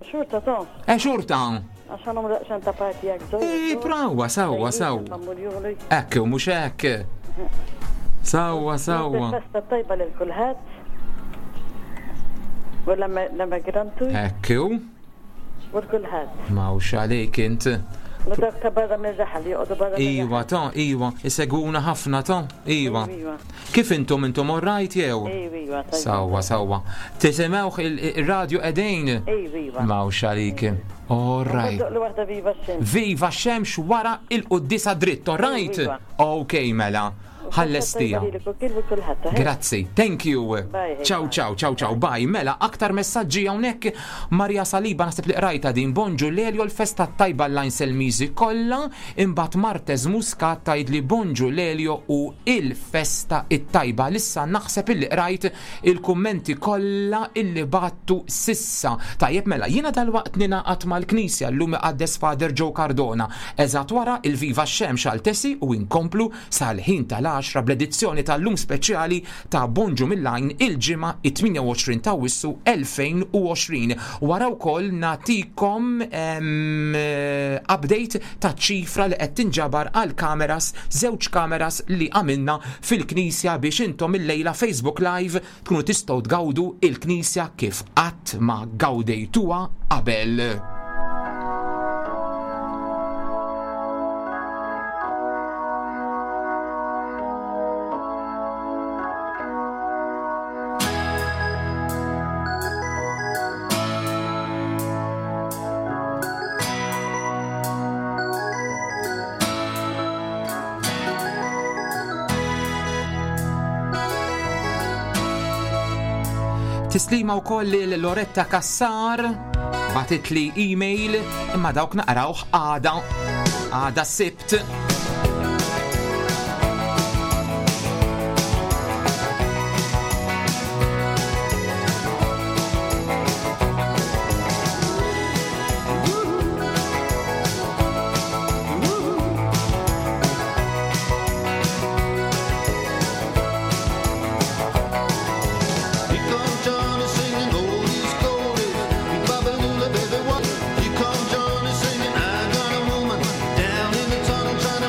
J: Xurta to,
G: E xurta?
J: għaxan umru għaxan ta' parti għak zoj.
G: E, brawa, sawa, sawa. Ekk, u mux ekk. Sawa, sawa.
J: Festa tajba lil kulħadd. U l-emigrantu
G: Ekk, u
J: u l-kulħadd.
G: mawx għalik int.
J: U dak ta' barra mir-raħal, joqogħdu barra mir-raħal.
G: Iwa, ta' iwa, isegwuna ħafna ta' iwa.
J: Iwa.
G: Kif intom intom orrajt jew?
J: Iwa, iwa, tajba.
G: Sawa, sawa. Tisimewx il-radio edejn?
J: Iwa, iwa.
G: Mawx għalik. All right.
J: Doq li waħda viva x-xemx.
G: Viva xemx wara il-quddisa dritt, all right?
J: Iva.
G: Ok, mela. Ħallestija. Grazzi, thank you.
J: Bye, hey,
G: Ciao, ciao, ciao, ciao, bye. Mela, aktar messaġġi hawnhekk Maria Saliba naħseb li qrajta din bonġu Lelio l-festa tajba l-lajn Selmiżi kollha, imbagħad Martez Muscat tgħid li bonġu Lelio u il-festa it-tajba. Lissa naħseb illi qrajt il-kummenti kollha illi battu sissa. Tajjeb mela, jiena dalwaqt ninaqat mal-Knisja llum iqaddes Father Joe Cardona. Eżatt wara il-Viva Xemx għal Tesi u inkomplu sal-ħin tal-10 bl-edizzjoni tal-lum speċjali ta' Bonġu mill-Lajn il-ġimgħa it-28 ta' Wissu 2020. Wara wkoll nagħtikom update ta' ċifra li qed tinġabar għal kameras, żewġ kameras li għamilna fil-Knisja biex intom illejla Facebook Live tkunu tistgħu tgawdu il-Knisja kif qatt ma gawdejtuha qabel. Tislima wkoll lil Loretta Cassar bagħtitli email imma dawk naqrawh għada għada s-Sibt.
K: Here come Johnny singing oldies goldies. Babalula, baby, what? Here come Johnny singing, I got a woman down in the tunnel trying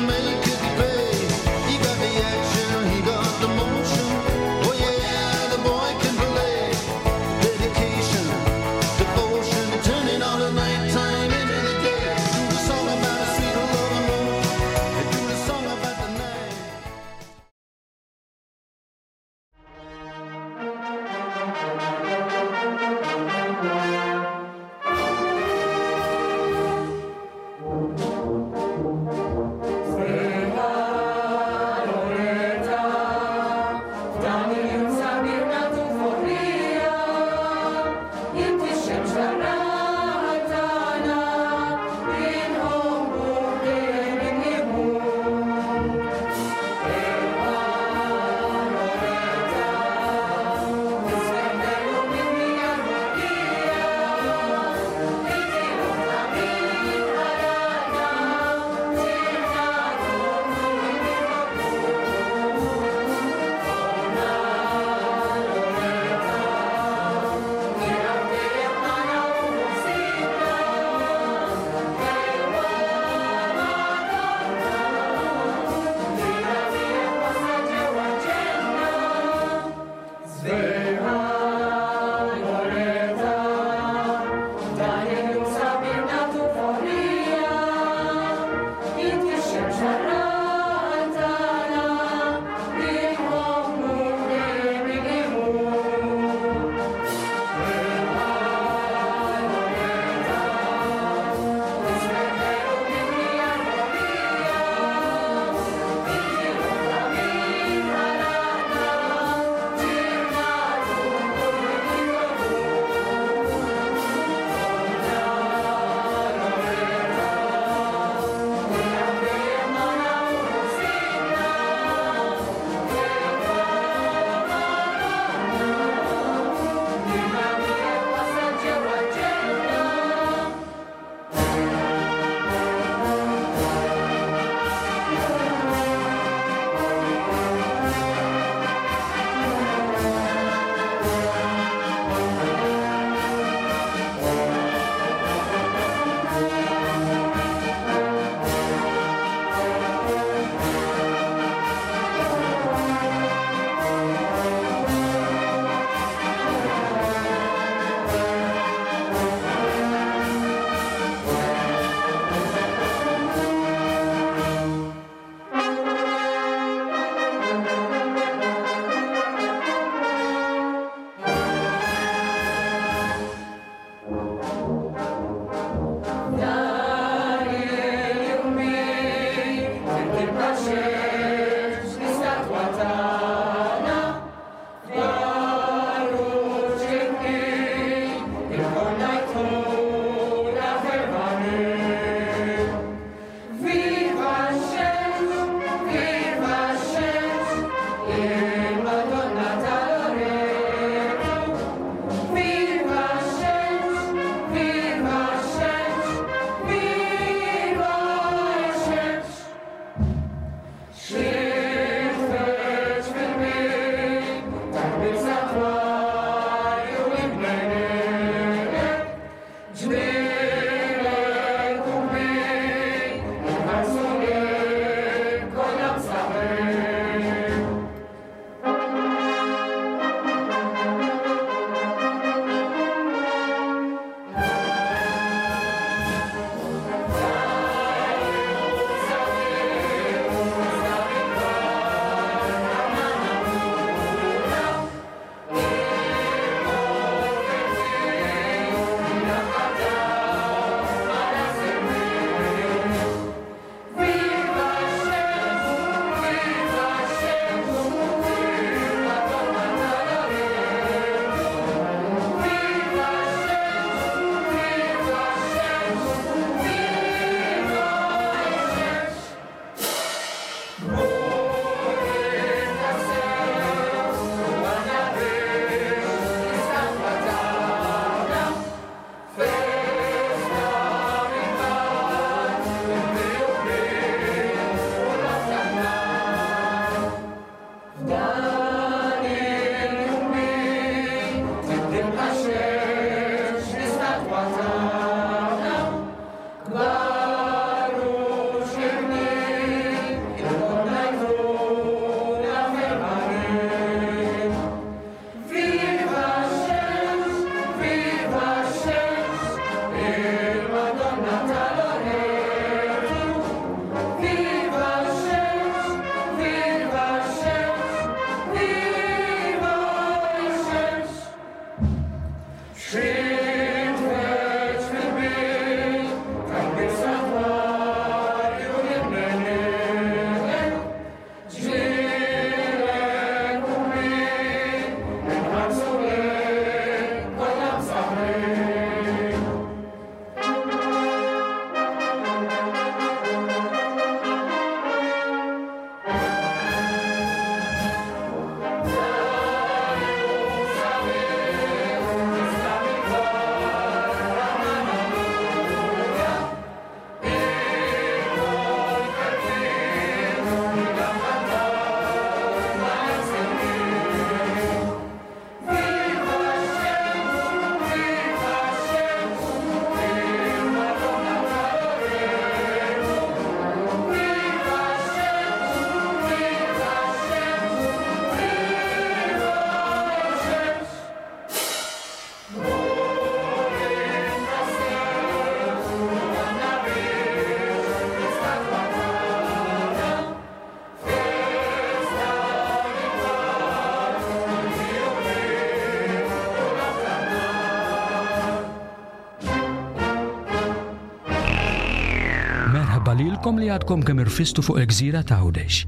A: Merħba lilkom li għadkom kemm irfistu fuq il-gżira ta' Għawdex.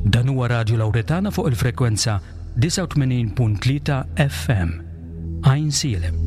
A: Dan huwa Radju Lawretana fuq il-frekwenza 89.3 FM. Għajnsielem.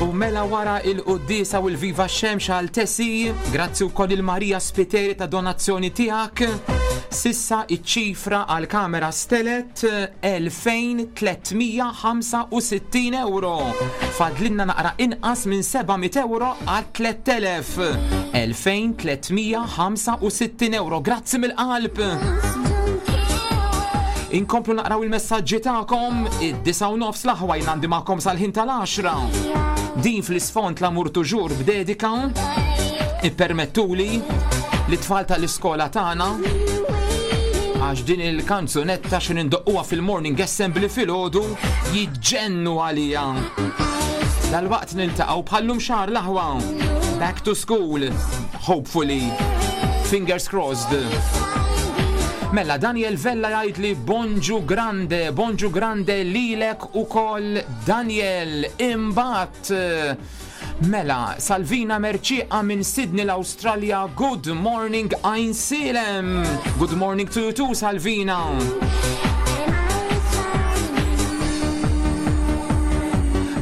G: U mela wara il-quddiesa u l-Viva Xemx għal Tesi, grazzi wkoll il-Marija Spiteri ta' donazzjoni tiegħek. Sissa iċ-ċifra għal kamera stelet 2365 euro. Fadlinna naqra inqas minn 700 euro għal 3000. 2365 euro. Grazzi mill-qalb. Inkomplu naqraw il-messaġġi tagħkom id-disa u nofs l-aħwa jien għandi magħkom sal-ħin tal-10. Din fl-isfond l-amur tuġur b'dedika ippermettuli li tfal tal-iskola tagħna għax din il-kanzunetta xi nindoqquha fil-morning assembly filgħodu jiġġennu għalija. Dalwaqt niltaqgħu bħallum xahar l-aħwa. Back to school, hopefully. Fingers crossed. Mela Daniel Vella jgħid li bonġu grande, bonġu grande lilek ukoll Daniel. Imbagħad Mela, Salvina Mercieqa minn Sydney l-Awstralja, good morning Għajnsielem! Good morning to you too, Salvina!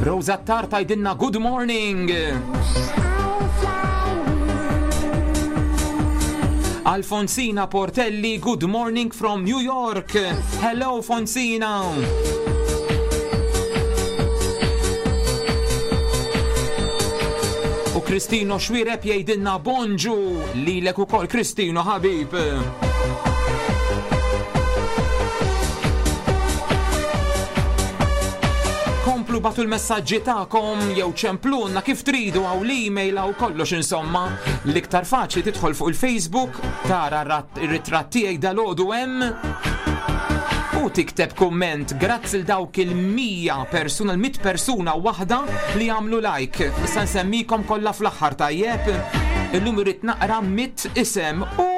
G: Rosa Ttar tgħidilna good morning! Alfonsina Portelli, good morning from New York. Hello, Fonsina. U Kristino Xwireb jgħidilna bonġu lilek ukoll Kristino ħabib. Komplu batu l-messaġġi tagħkom jew ċemplunna kif tridu għaw l-email għaw kollox insomma. L-iktar faċli tidħol fuq il-Facebook, tara r-ritratt tiegħi dalgħodu hemm u tikteb kumment grazzi l dawk il-100 persuna, l-100 persuna waħda li għamlu like. Issa nsemmikom kollha fl-aħħar tajjeb. Illum irrid naqra 100 isem. U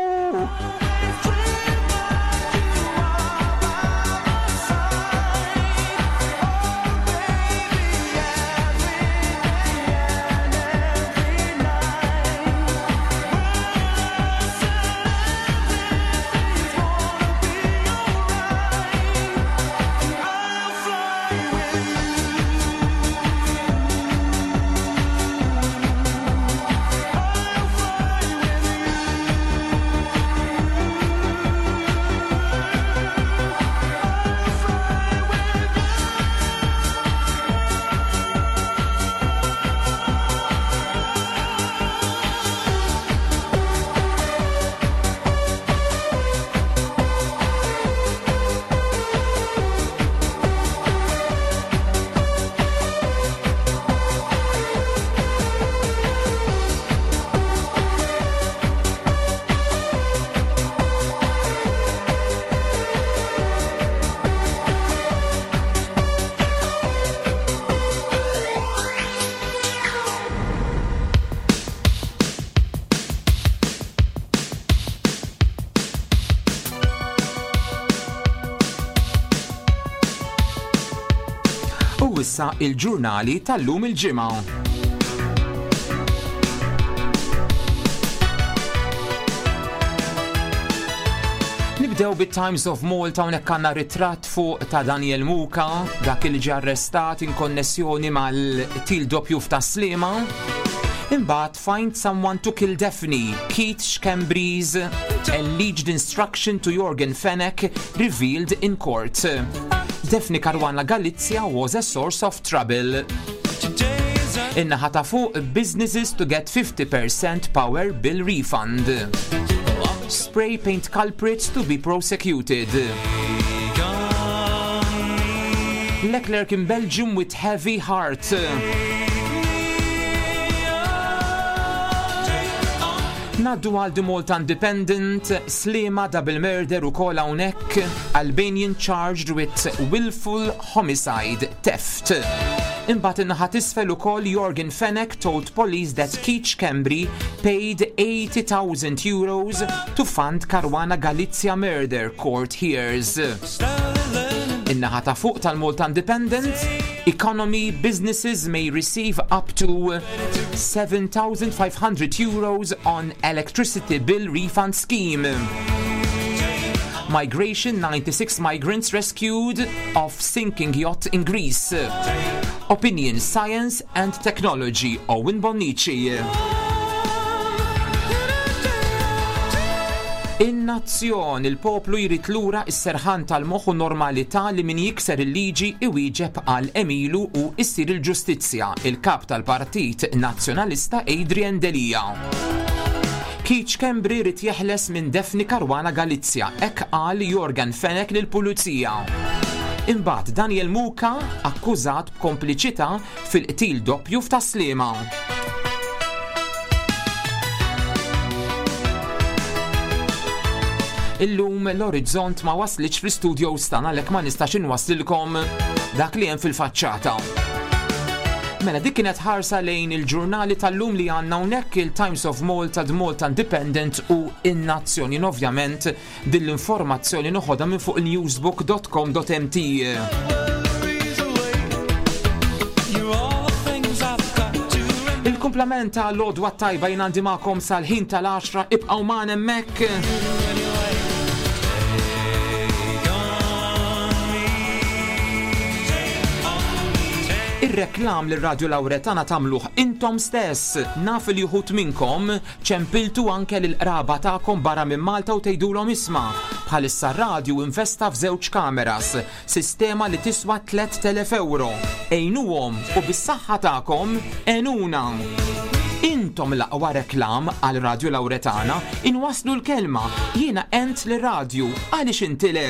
G: U issa il-ġurnali tal-lum il-ġimgħa. Nibdew bit-Times of Malta hawnhekk għandna ritratt fuq ta' Daniel Muka, dak li ġie arrestat in konnessjoni mal-til doppju f'Tas-Sliema. Imbagħad find someone to kill Daphne, Keith Schembri's alleged instruction to Yorgen Fenech revealed in court. Daphne Caruana Galizia was a source of trouble. In-naħa ta' fuq businesses to get 50% power bill refund. Spray paint culprits to be prosecuted. Leclerc in Belgium with heavy heart. Naddu għal The Malta Independent, Sliema double murder u kol hawnhekk, Albanian charged with willful homicide, theft. Imbagħad in-naħa t'isfel ukoll Yorgen Fenech told police that Keith Schembri paid 80,000 euros to fund Caruana Galizia murder, court hears. In-naħa ta' fuq tal-Malta Independent, Economy businesses may receive up to 7,500 euros on electricity bill refund scheme. Migration 96 migrants rescued off sinking yacht in Greece. Opinion, Science and Technology, Owen Bonnici. In-Nazzjon, il-poplu jrid lura s-serħan tal-moħħ u normalità li min jikser il-liġi iwieġeb għal għemilu u issir il-ġustizzja, il-Kap tal-Partit Nazzjonalista Adrian Delia. Keith Schembri jrid jeħles minn Daphne Caruana Galizia, hekk qal Yorgen Fenech lill-Pulizija. Imbagħad Daniel Muka akkużat b'kompliċità fil-qtil doppju f'Tas-Sliema. Illum l-Orizzont ma waslitx fl-istudios tagħna għalhekk ma nistax inwasslilkom dak li hemm fil-faċċata. Mela dik kienet ħarsa lejn il-ġurnali tal-lum li għandna hawnhekk il-Times of Malta, The Malta Independent u in-Nazzjon. Jien ovvjament din l-informazzjoni noħodha minn fuq newsbook.com.mt. Il-kumplament ta' l-odwa tajba jien għandi magħkom sal-ħin tal-10 ibqgħu magħna hemmhekk. Ir-reklam li Radio Lauretana tagħmluh intom stess. Naf li uħud minnkom Ċempiltu anke lill-qraba tagħkom barra minn Malta u tgħidulhom isma', bħalissa r-radju investa f'żewġ kameras, sistema li tiswa 3,000 ewro. Għinuhom u bis-saħħa tagħkom għenuna! Intom l-aqwa reklam għal Radju Lauretana, inwasslu l-kelma, jiena għent lir-radju, għaliex inti le?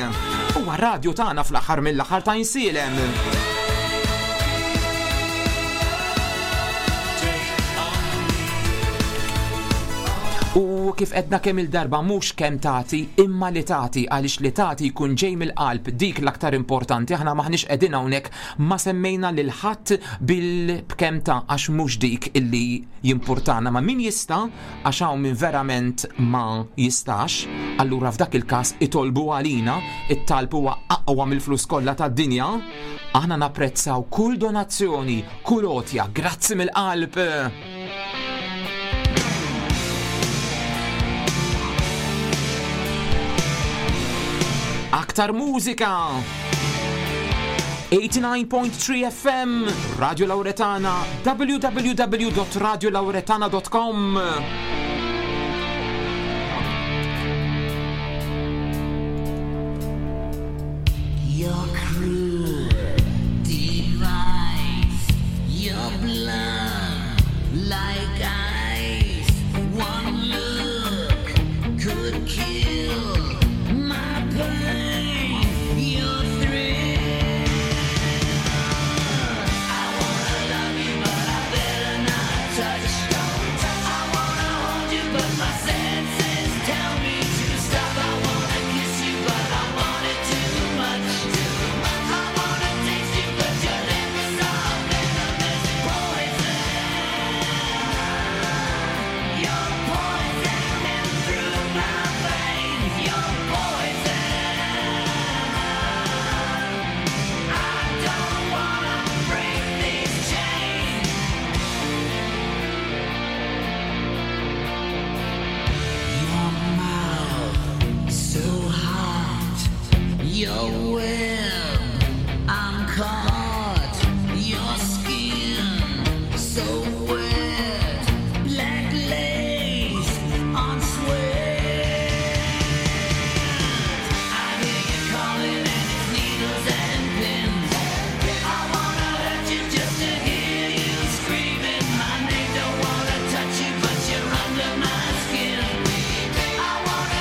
G: Huwa r-radju tagħna fl-aħħar mill-aħħar ta' Insielem. U kif edna kemm il-darba mhux kemm tagħti imma li tagħti għaliex li tagħti jkun ġej mill-qalb dik l-aktar importanti aħna maħniex qegħdin hawnhekk ma semmejna lil ħadd bil b'kemm ta' għax mhux dik illi jimpurtana ma min jista' għax hawn min verament ma jistax allura f'dak il-każ itolbu għalina it-talb huwa aqwa mill-flus kollha tad-dinja aħna napprezzaw kull donazzjoni Kull għotja, grazzi mill-qalb! Aktar mużika! 89.3 FM, Radio Lauretana, www.radiolauretana.com.
E: You're cruel device, your blood like ice. One look could kill my pain. Your thrill. I wanna love you, but I better not touch. I wanna hold you, but my senses tell me to stop. I wanna kiss you, but I want it too much. I wanna taste you, but your lips are venomous poison. You're poison through my veins. You're poison. I don't wanna break these chains. Your mouth so hot, your web, I'm caught. Your skin so wet, black lace on sweat. I hear you calling and it's needles and pins. I wanna hurt you just to hear you screaming my name. Don't wanna touch you, but you're under my skin. I wanna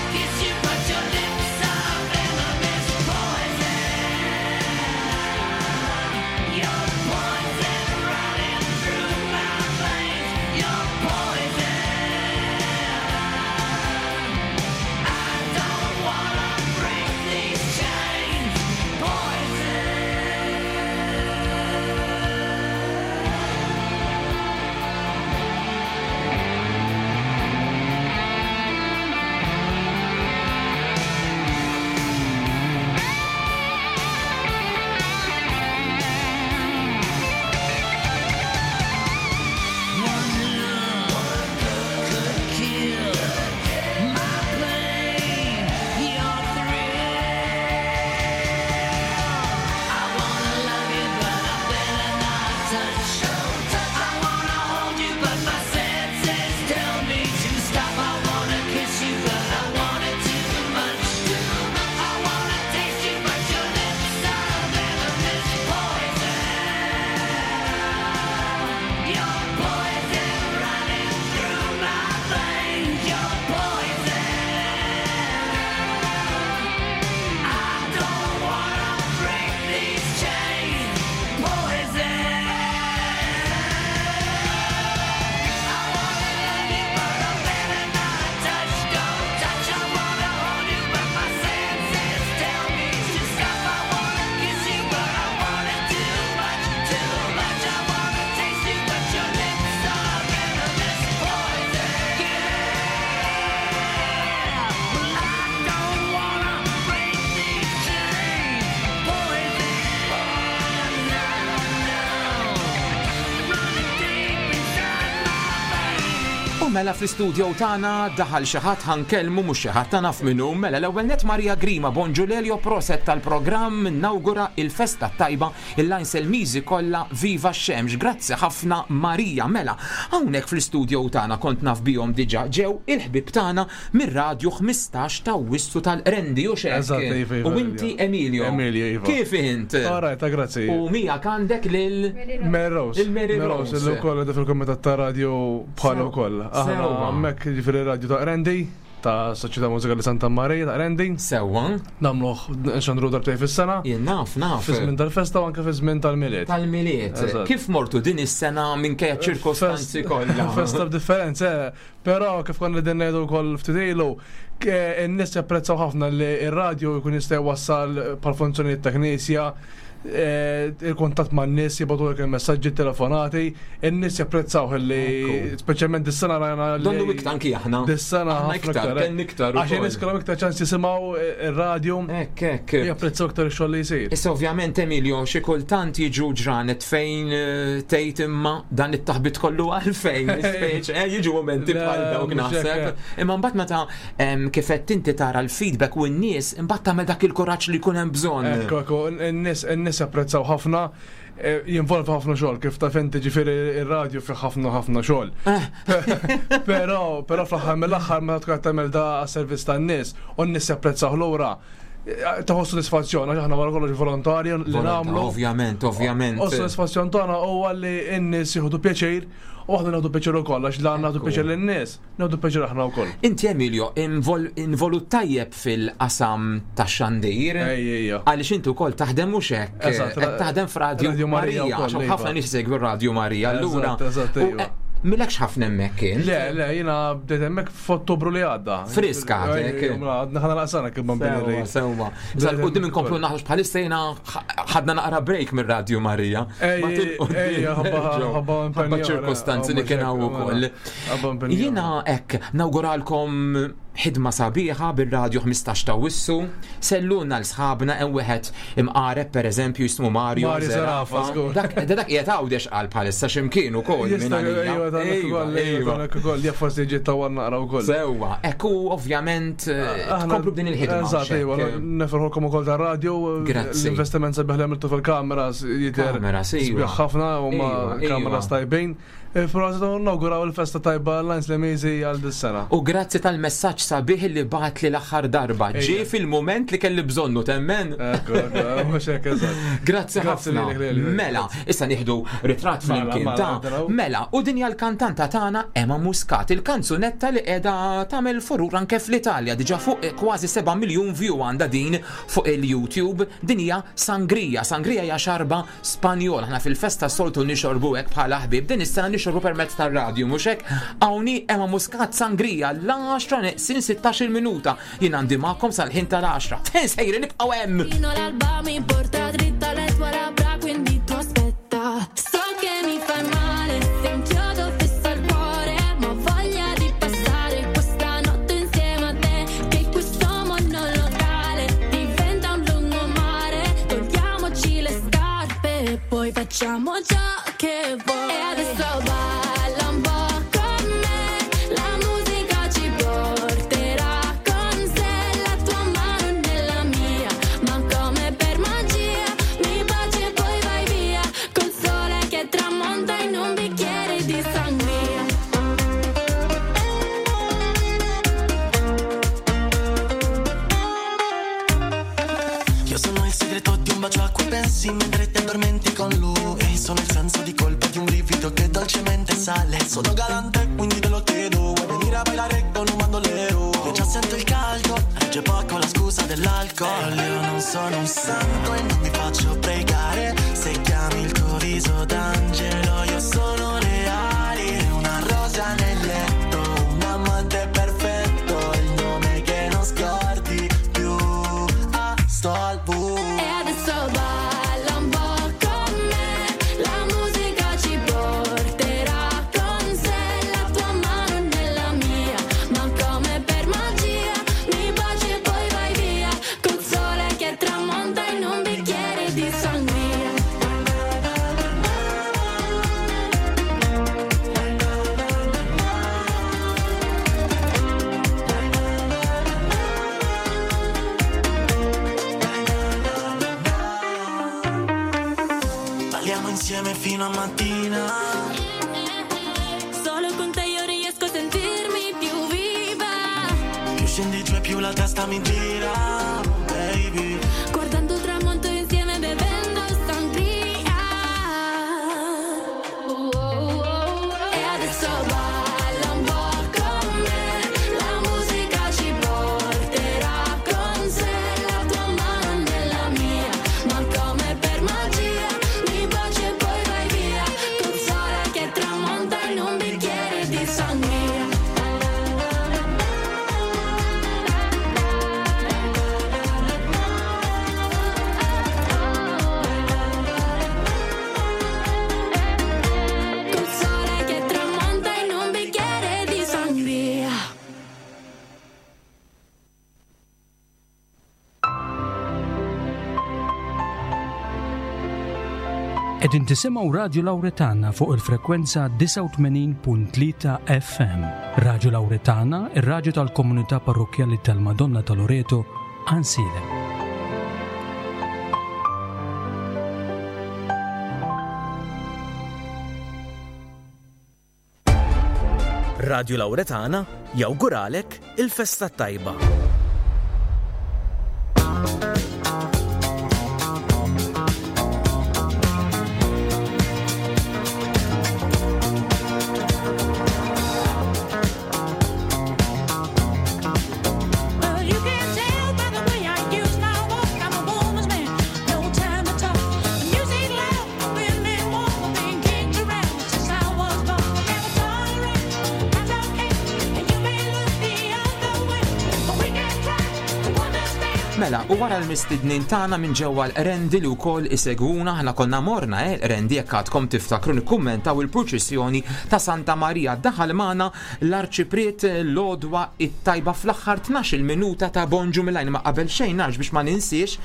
G: mela fl-istudio tagħna daħal xi ħadd ħa nkellmu mhux xi ħadd ta' naf min hu. Mela l-ewwel nett Maria Grima, Bonġu Lelio, proset tal-programm, nawgura il-festa t-tajba il-Lajnselmiżi kollha viva x-xemx. Grazzi ħafna Maria. Mela hawnhekk fl-istudio tagħna kont naf bihom diġà ġew il-ħbieb tagħna mir-radju 15 ta' Awwissu tal-Qrendi hux hekk?
F: Eżatt, iva, iva,
G: U inti Emilio.
F: Emilio, iva.
G: Kif int?
F: All right, ta' grazzi.
G: U miegħek għandek lil
F: Mary Rose.
G: Il-Mary Rose.
F: Rose, li wkoll qiegħda fil-kumitat ta' radio bħal ukoll. Aħna
G: Sewwa.
F: hemmhekk jiġifieri radio ta' Qrendi, ta' Soċjetà Mużikali Santa Marija ta' Qrendi.
G: Sewwa.
F: Nagħmluh nxandru darbtejn fis-sena.
G: Jien naf, naf.
F: Fi żmien tal-festa u anke fi żmien tal-Milied.
G: Tal-Milied.
F: Eżatt.
G: Kif mortu din is-sena minkejja ċirkostanzi kollha?
F: Festa b'differenza, eh. Però kif konna qegħdin ngħidu wkoll ftit ilu, in-nies japprezzaw ħafna li r-radju jkun jista' jwassal bħal funzjonijiet ta' knisja, il-kuntatt man-nies, jibgħatulek il-messaġġi, telefonati, in-nies japprezzaw li speċjalment dis-sena rajna li.
G: Donnu iktar anki aħna.
F: Dis-sena
G: Aħna
F: ħafna
G: iktar, kellna iktar
F: Għax in-nies
G: ukoll.
F: kellhom iktar ċans jisimgħu ir-radju.
G: Hekk, hekk.
F: Japprezzaw iktar ix-xogħol li jsir.
G: Issa ovvjament Emilio xi kultant jiġu ġranet fejn tgħid imma dan it-taħbit kollu għalfejn, speċi, jiġu mumenti
F: Le,
G: bħal dawk
F: mhux
G: naħseb.
F: hekk,
G: Imma mbagħad meta kif qed inti tara l-feedback u n-nies imbagħad tagħmel dak il-kuraġġ li jkun hemm bżonn.
F: Ekku, ekku, n-nies japprezzaw ħafna, jinvolvi ħafna xogħol, kif taf inti ġifieri ir-radju fih ħafna ħafna xogħol. Però, però fl-aħħar mill-aħħar meta tkun qed tagħmel da għas-servizz tan-nies u n-nies japprezzaw lura, taħu sodisfazzjon għax aħna wara kollox volontarju li nagħmlu.
G: Ovvjament, ovvjament.
F: U s-sodisfazzjon tagħna huwa li n-nies jieħdu pjaċir u aħna nieħdu pjaċir ukoll għax la nagħtu pjaċir lin-nies, nieħdu pjaċir aħna wkoll.
G: Inti Emilio, involut tajjeb fil-qasam tax-xandir. Għaliex inti wkoll taħdem mhux hekk.
F: Eżatt,
G: Qed taħdem f'Radju
F: Radio Marija
G: Marija,
F: wkoll,
G: għax
F: iva.
G: ħafna nies isegwu Radio Marija. Allura,
F: Eżatt, eżatt,
G: u,
F: iva.
G: milekx ħafna hemmhekk int.
F: Le, le, jiena bdejt hemmhekk f'Ottubru li għadda.
G: Friska għadek.
F: Ej, mela, Għadna ħana laqsana kif ma
G: Sewwa, sewwa. Issa l-qudiem inkomplu naħroġ bħalissa jiena ħadna naqra break mir-Radju Marija.
F: Ej,
G: Ma til-qudiem
F: ej, ħabba-
G: nerġgħu.
F: ħabba impenju,
G: Ħabba ċirkostanzi li kien hawn ukoll.
F: Ħabba impenju.
G: Jiena hekk nawguralkom ħidma sabiħa bir-radju 15 ta' Wissu. Selluna l-sħabna hemm wieħed imqareb pereżempju jismu Mario
F: Mario Zerafa, żgur.
G: Dak dak qiegħed Għawdex qal bħalissa x'imkien ukoll minn
F: Jista'
G: għalija.
F: ejwa, dan hekk
G: Ejwa,
F: ukoll, ejwa,
G: ejwa.
F: dan hekk ukoll, jaf forsi ġiet tawwal naqra wkoll.
G: Sewwa, ekku ovvjament tkomplu b'din il-ħidma.
F: Eżatt, ejwa,
G: x'hekk.
F: nefirħulkom ukoll tar-radju.
G: Grazzi.
F: L-investiment sabiħ li għamiltu fil-kameras jidher
G: Kameras, ejwa.
F: sbieħ ħafna u ma
G: Ejwa, ejwa.
F: kameras tajbin. Però nawguraw il-festa tajba l-Lines Lemizi għal dis-sena.
G: U grazzi tal-messaġġ sabiħ li bagħat li l-aħħar darba. Ġie fil-mument li kelli bżonnu temmen.
F: Ekku, ekku, mhux hekk eżatt.
G: Grazzi
F: Grazzi
G: ħafna.
F: lilek, lilek.
G: Mela, issa nieħdu ritratt
F: Mela,
G: flimkien
F: mela,
G: ta'
F: naraw.
G: Mela, u dinja l-kantanta tagħna Emma Muscat, il-kanzunetta li qiegħda tagħmel furur anke fl-Italja, diġà fuq kważi 7 miljun view għandha din fuq il-YouTube. Din hija Sangria. Sangria hija xarba Spanjol. Aħna fil-festa soltu nixorbu hekk bħala ħbieb. Din is-sena nixorbu permezz tar-radju, mhux hekk? Hawnhi Emma Muscat Sangria l-10 neqsin 16 minuta. Jien għandi magħkom sal-ħin tal-10. Fejn sejri nibqgħu hemm.
E: Fino all'alba mi porta dritta le tue labbra, quindi tu aspetta. So che mi fai male, se un chiodo fisso al cuore, ma ho voglia di passare questa notte insieme a te, che questo mondo locale diventa un lungomare. Togliamoci le scarpe e poi facciamo ciò che vuoi. E adesso balla un po' con me, la musica ci porterà con sé, la tua mano nella mia, ma come per magia mi baci e poi vai via, col sole che tramonta in un bicchiere di sangria.
I: Io sono il segreto di un bacio a cui pensi mentre ti addormenti con lui. Sono il senso di colpa di un brivido che dolcemente sale. Sono galante, quindi te lo chiedo. Vuoi venire a bailare con un bandolero? Io già sento il caldo, regge poco la scusa dell'alcol. Io non sono un santo e non mi faccio pregare. Se chiami il tuo viso d'angelo, io sono le ali, una rosa nel letto, un amante perfetto, il nome che non scordi più. Ah, sto al buio.
E: E adesso balla un po' con me, la musica ci porterà con sé, la tua mano nella mia, ma come per magia mi baci e poi vai via, col sole che tramonta in un bicchiere di sangria.
I: insieme fino a mattina.
E: Solo con te io riesco a sentirmi più viva.
I: Più scendi giù e più la testa mi gira, baby.
E: Guardando il tramonto insieme bevendo sangria. Oh, oh, oh. E adesso balla un po' con me. La musica ci porterà con sé. La tua mano nella mia, ma come per magia mi baci e poi vai via. Col sole che tramonta in un bicchiere di sangria. Col sole che tramonta in un bicchiere di sangria.
A: Qegħdin tisimgħu Radju Lawretana fuq il-frekwenza 89.3 FM. Radju Lawretana, ir-radju tal-komunità parrokkjali tal-Madonna ta' Loreto, Ansilem.
L: Radju Lawretana jawguralek il-festa tajba.
M: Well, you can tell by the way I use my walk. I'm a woman's man, no time to talk. The music loud, women warm, been kicked around since I was born. Never tolerate, that's okay. And you may look the other way, but we can try to understand.
G: Mela, u wara l-mistednin tagħna minn ġewwa l-Qrendi li wkoll isegwuna aħna konna morna eh, l-Qrendi jekk għadkom tiftakru nikkummentaw il-purċissjoni ta' Santa Marija. Daħal magħna l-Arċipriet l-għodwa it-tajba fl-aħħar 12-il minuta ta' Bonġu mill-Għajn ma qabel xejn għax biex ma ninsiex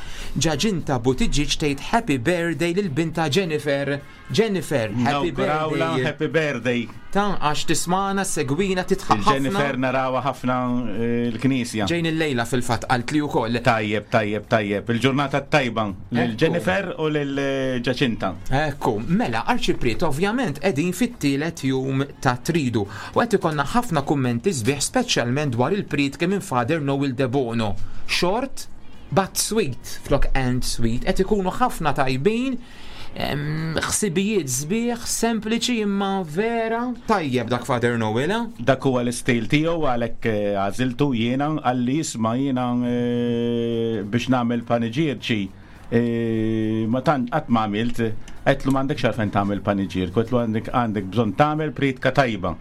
G: Ġaġinta Buttigieg tgħid happy birthday lil binta Jennifer. Jennifer, happy
N: Nawgurawla
G: birthday.
N: happy birthday.
G: Ta' għax tismana, segwina, titħaq ħafna.
N: Il-Jennifer narawha ħafna eh, l-knisja.
G: Ġejn il-lejla fil-fatt qalt li wkoll.
N: Tajjeb, tajjeb, tajjeb. Il-ġurnata tajba lil Jennifer u lil eh, Ġaċinta.
G: Ekku, mela, Arċipriet ovvjament qegħdin fit-tielet jum ta' tridu u qed ikollna ħafna kummenti sbieħ speċjalment dwar il-prietke minn Father Noel Debono. Short but sweet, flok and sweet, qed ikunu ħafna tajbin, em, ħsibijiet sbieħ, sempliċi imma vera tajjeb dak Father Noel. eh?
N: Dak huwa l-istil tiegħu għalhekk eh, għażiltu jiena għalli jisma' jiena eh, biex nagħmel paniġierċi eh, ma tant qatt ma għamilt qedlu m'għandekx għalfejn tagħmel paniġierk, qedlu għandek għandek bżonn tagħmel priedka tajba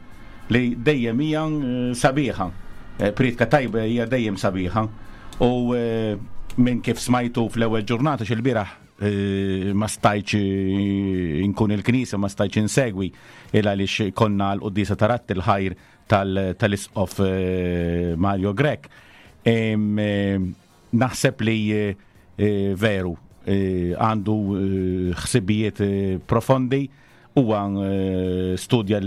N: li dejjem hija eh, sabiħa. Eh, Priedka tajba hija dejjem sabiħa. U eh, minn kif smajtu fl-ewwel ġurnata xil-bieraħ eh, ma stajtx eh, inkun il-knisja, ma stajtx insegwi il għaliex konna l-qoddisa tarat il-ħajr tal- tal-isqof eh, Mario Grech. Em, eh, Naħseb li eh, eh, veru eh, għandu eh, ħsibijiet eh, profondi huwa eh, studja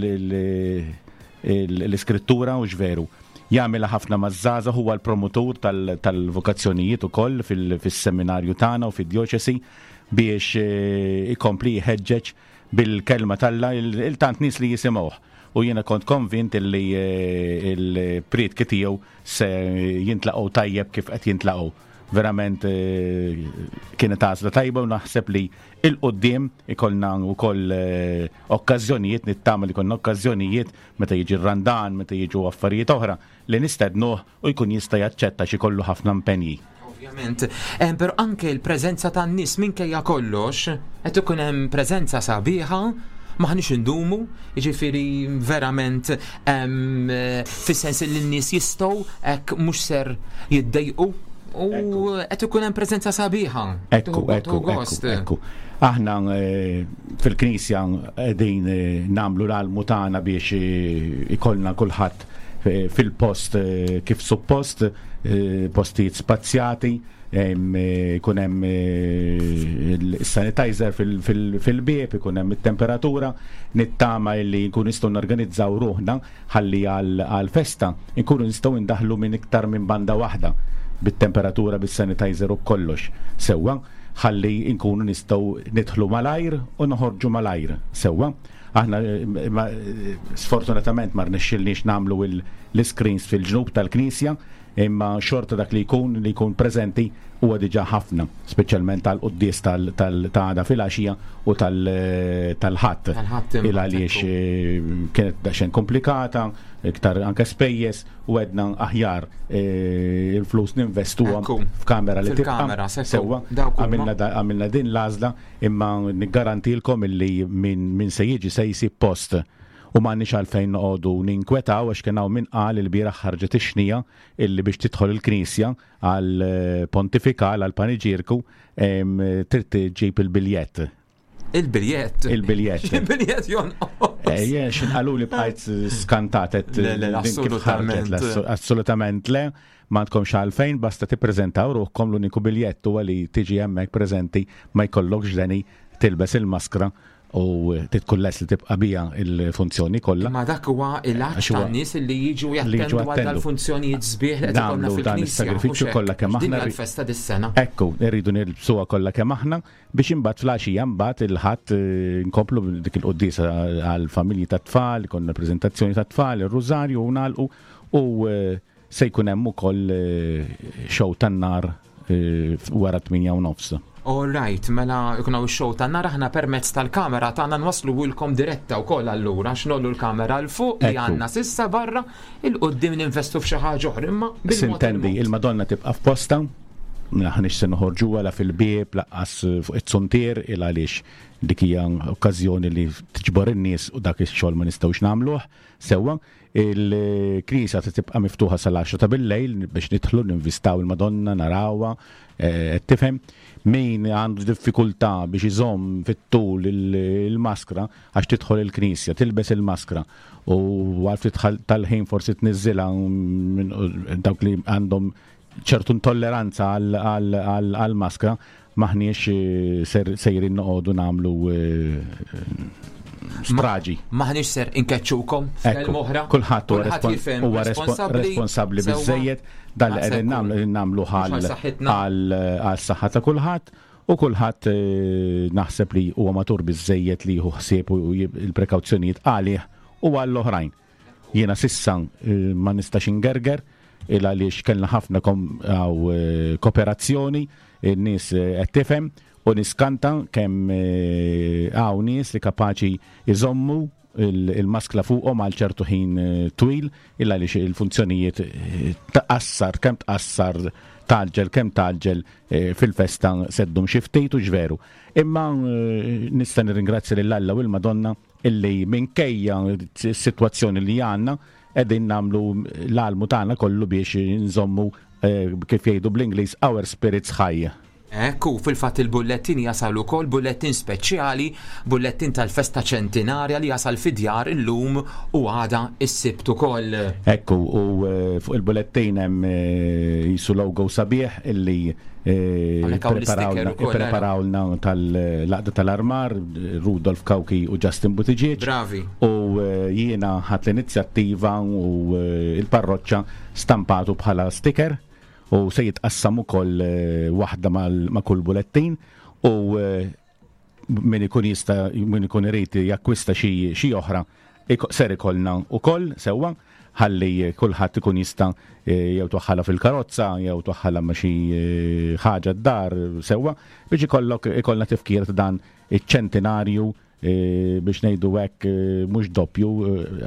N: l-iskrittura u x'veru. Jagħmilha ħafna maż-żgħażagħ huwa l-promotur tal- tal-vokazzjonijiet ukoll fil- fis-seminarju tagħna u fid-djoċesi biex eh, ikompli jħeġġeġ bil-kelma talla il-tant nies li jisimgħuh. U jiena kont konvint li eh, il-prietki tiegħu se jintlaqgħu tajjeb kif qed jintlaqgħu. Verament eh, kienet għażla tajba u naħseb li il-qoddim ikollna wkoll eh, okkażjonijiet nittama li konna okkażjonijiet meta jiġi r-randan, meta jiġu affarijiet oħra li nistednuh u jkun jista' jaċċetta xi kollu ħafna impenji.
G: Ovvjament, Em, però anke l-preżenza tan-nies minkejja kollox, qed ikun hemm preżenza sabiħa, maħniex indumu, jiġifieri verament em, eh, fis-sens li n-nies jistgħu hekk mhux ser jiddejqu u qed ikun hemm preżenza sabiħa.
N: Ekku,
G: Tuħu-
N: ekku,
G: tuħu gost.
N: ekku, ekku. Aħna eh, fil-knisja qegħdin eh, nagħmlu l-almu tagħna biex eh, ikollna kulħadd eh, fil-post eh, kif suppost, eh, postijiet spazjati, em, eh, ikun hemm eh, il-sanitizer fil-bieb, ikun hemm it-temperatura, nittama li nkun nistgħu norganizzaw ruħna ħalli għal-festa nkunu nistgħu ndaħlu minn iktar minn banda waħda bit-temperatura, bis-sanitizer u kollox. Sewwa, ħalli nkunu nistgħu nidħlu malajr u noħorġu malajr sewwa. Aħna sfortunatament ma rnexxilniex nagħmlu l-iscreens fil-ġnub tal-knisja imma xorta dak li jkun li jkun preżenti huwa diġà ħafna, speċjalment għall-quddies ta' għada filgħaxija u tal-Ħadd. Il għaliex kienet daqsxejn komplikata, iktar anke spejjeż u għedna aħjar il-flus ninvestuhom f'kamera li tibqa' sewwa. Għamilna din l-għażla imma niggarantilkom illi min se jiġi se jsib post U m'għandniex għalfejn noqogħdu ninkwetaw għax kien hawn min qal ilbieraħ ħarġet ix-xnija illi biex tidħol il-knisja għall-pontifikal, għall-paniġierku, trid iġġib il-biljett.
G: Il-biljett?
N: Il-biljett.
G: Il-biljett jonqos.
N: Eh, jien x'in qaluli bqajt skantat qed
G: Le, le,
N: din kif ħarġet, le,
G: assolutament.
N: assolutament le, m'għandkomx għalfejn, basta tippreżentaw ruħkom l-uniku biljett huwa li tiġi hemmhekk preżenti ma jkollokx deni tilbes il-maskra u tkun lest li tibqa' biha il-funzjoni kollha.
G: Imma dak huwa il-għatx tan-nies li jiġu jattendu għal dal-funzjonijiet sbieħ li qed ikollna
N: fil-Knisja. Is-sagrifiċċju kollha kemm aħna.
G: Din l-festa dis-sena.
N: Ekku, irridu nilbsuha kollha kemm aħna biex imbagħad fl-għaxija mbagħad il-Ħadd eh, nkomplu dik il-quddiesa għall-familji tat-tfal, ikollna preżentazzjoni tat-tfal, ir-rużarju u nagħlqu u eh, Se jkun hemm ukoll show tan-nar wara 8 u nofs.
G: All right, mela jkun hawn ix-show tan-nar aħna permezz tal-kamera tagħna nwasluhulkom diretta wkoll allura għax ngħollu l-kamera 'l fuq li għandna s'issa barra 'il quddiem ninvestu f'xi ħaġa oħra imma bil-mod.
N: Sintendi, il-Madonna tibqa' f'postha, m'aħniex se noħorġuha la fil-bieb lanqas fuq iz-zuntier il għaliex dik hija okkażjoni li tiġbor in-nies u dak ix-xogħol ma nistgħux nagħmluh sewwa. Il-knisja se tibqa' miftuħa sal-għaxra ta' bil-lejl biex nidħlu ninvistaw il-Madonna, narawha, eh, qed tifhem. Min għandu diffikultà biex iżomm fit-tul il-maskra għax tidħol il-knisja, tilbes il-maskra u għal ftit tal-ħin forsi tniżżilha minn dawk li għandhom ċertu intolleranza għall-maskra, m'aħniex eh, sejrin noqogħdu nagħmlu eh, straġi.
G: Maħniex ser inkeċċukom f'kelma oħra.
N: Kulħadd huwa responsabbli biżejjed dan li qegħdin nagħmlu nagħmlu għal saħħa ta' kulħadd u kulħadd eh, naħseb li huwa matur biżejjed li jieħu ħsieb u il-prekawzjonijiet għalih u għall-oħrajn. Jiena sissa eh, ma nistax ingerger il għaliex kellna ħafna eh, kooperazzjoni, in-nies eh, qed tifhem u niskanta kemm hawn nies li kapaċi iżommu il-maskla fuqhom għal ċertu ħin twil illa għaliex il-funzjonijiet tqassar kemm tqassar taġġel kemm taġġel fil-festa seddum xi ftit u ġveru. Imma nista' nirringrazzja lil Alla u l-Madonna illi minkejja s-sitwazzjoni li għandna qegħdin nagħmlu l-almu tagħna kollu biex nżommu eh, kif jgħidu bl-Ingliż our spirits high.
G: Ekku, fil-fatt il-bullettin jasal ukoll bullettin speċjali, bullettin tal-festa ċentinarja li jasal fid-djar illum u għada is-Sibt ukoll.
N: Ekku, u eh, fuq il-bullettin hemm eh, jisu logo sabiħ illi Ippreparawlna tal-laqda tal-armar, Rudolf Cauchi u Justin Buttigieg.
G: Bravi.
N: U eh, jiena ħadt l-inizjattiva u eh, il-parroċċa stampatu bħala sticker u se jitqassam ukoll eh, waħda ma' kull bulettin u min ikun jista' min ikun irid jakkwista xi oħra ser ikollna ukoll sewwa ħalli kulħadd ikun jista' eh, jew twaħħalha fil-karozza jew twaħħalha ma' xi eh, ħaġa d-dar sewwa biex ikollok ikollna tifkir ta' dan iċ-ċentinarju eh, biex ngħidu hekk mhux doppju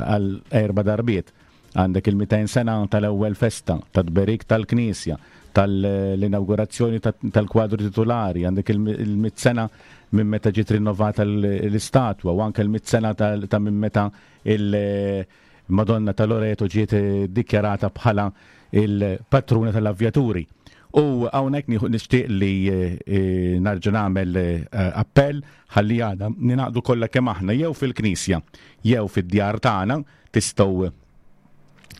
N: għal erba' darbiet. Għandek il-200 sena tal-ewwel festa, tat-tberik tal-Knisja, tal-inawgurazzjoni tal-kwadru titulari, għandek il-mitt sena minn meta ġiet rinnovata l-istatwa u anke l-mitt sena ta' minn meta il-Madonna ta' Loreto ġiet dikjarata bħala il-patruna tal-avvjaturi. U hawnhekk nixtieq li eh, narġa' nagħmel eh, appell ħalli għada ninaqdu kollha kemm aħna jew fil-knisja jew fid-djar tagħna Tistgħu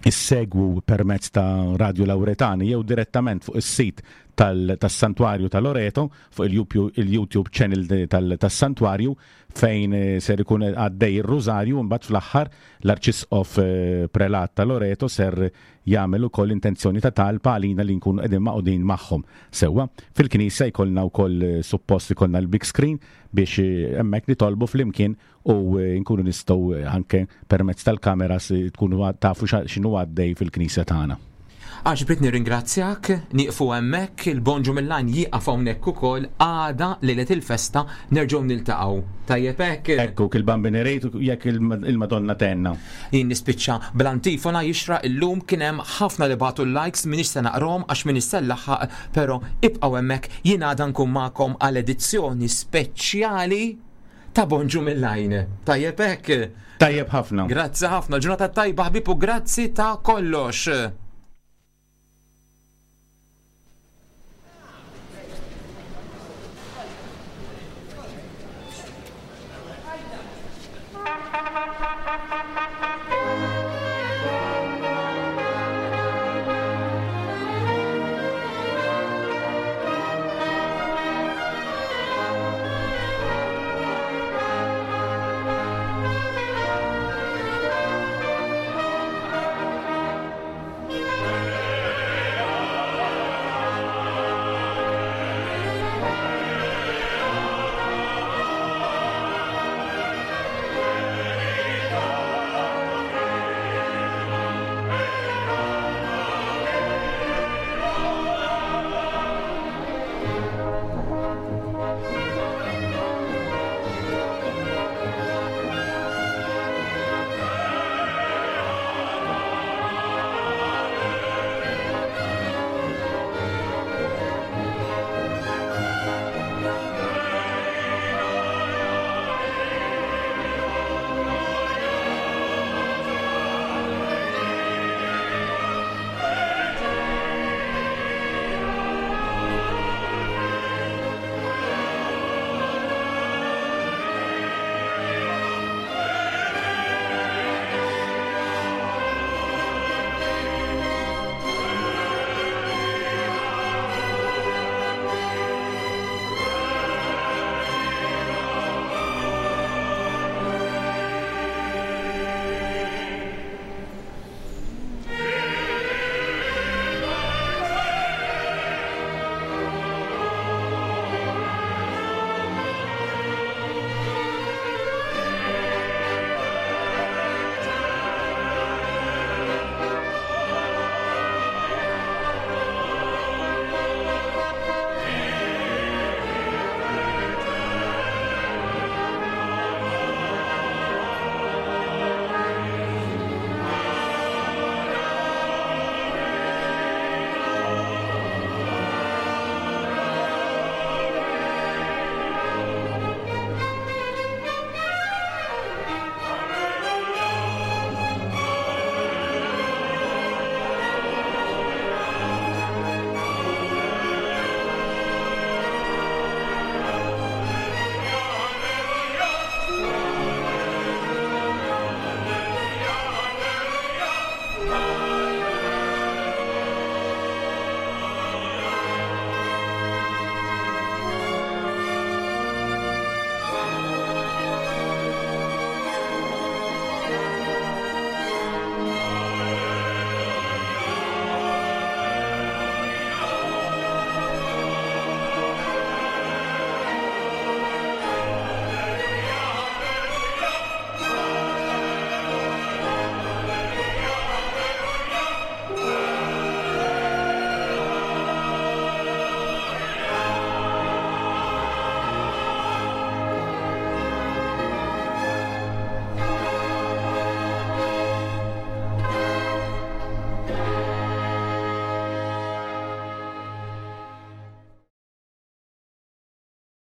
N: issegwu permezz ta' Radio Lauretani jew direttament fuq is-sit tas-Santwarju ta' Loreto fuq il-YouTube channel tas-Santwarju fejn ser ikun għaddej ir-Rużarju mbagħad fl-aħħar l-Arċisqof Prelat ta' Loreto ser jagħmel ukoll intenzjoni ta' talb għalina li nkunu qegħdin magħqudin magħhom. Sewwa, fil-knisja jkollna wkoll suppost ikollna l-big screen biex hemmhekk nitolbu flimkien u nkunu nistgħu anke permezz tal-kameras tkunu tafu x'inhu għaddej fil-knisja tagħna.
G: Arċipriet nirringrazzjak, nieqfu hemmhekk, il-Bonġu mill-Għajn jieqaf hawnhekk ukoll, għada lejlet il-festa nerġgħu niltaqgħu. Tajjeb hekk?
N: Hekk hu, il-Bambin irid u jekk il-Madonna tgħinna.
G: Jien nispiċċa bl-antifona jixra illum kien hemm ħafna li bagħtu l-likes m'iniex se naqrahom għax m'iniex se nlaħħaq, però ibqgħu hemmhekk jien għada nkun magħkom għal edizzjoni speċjali ta' Bonġu mill-Għajn. Tajjeb hekk?
N: Tajjeb ħafna.
G: Grazzi ħafna, ġurnata tajba ħbieb u grazzi ta' kollox.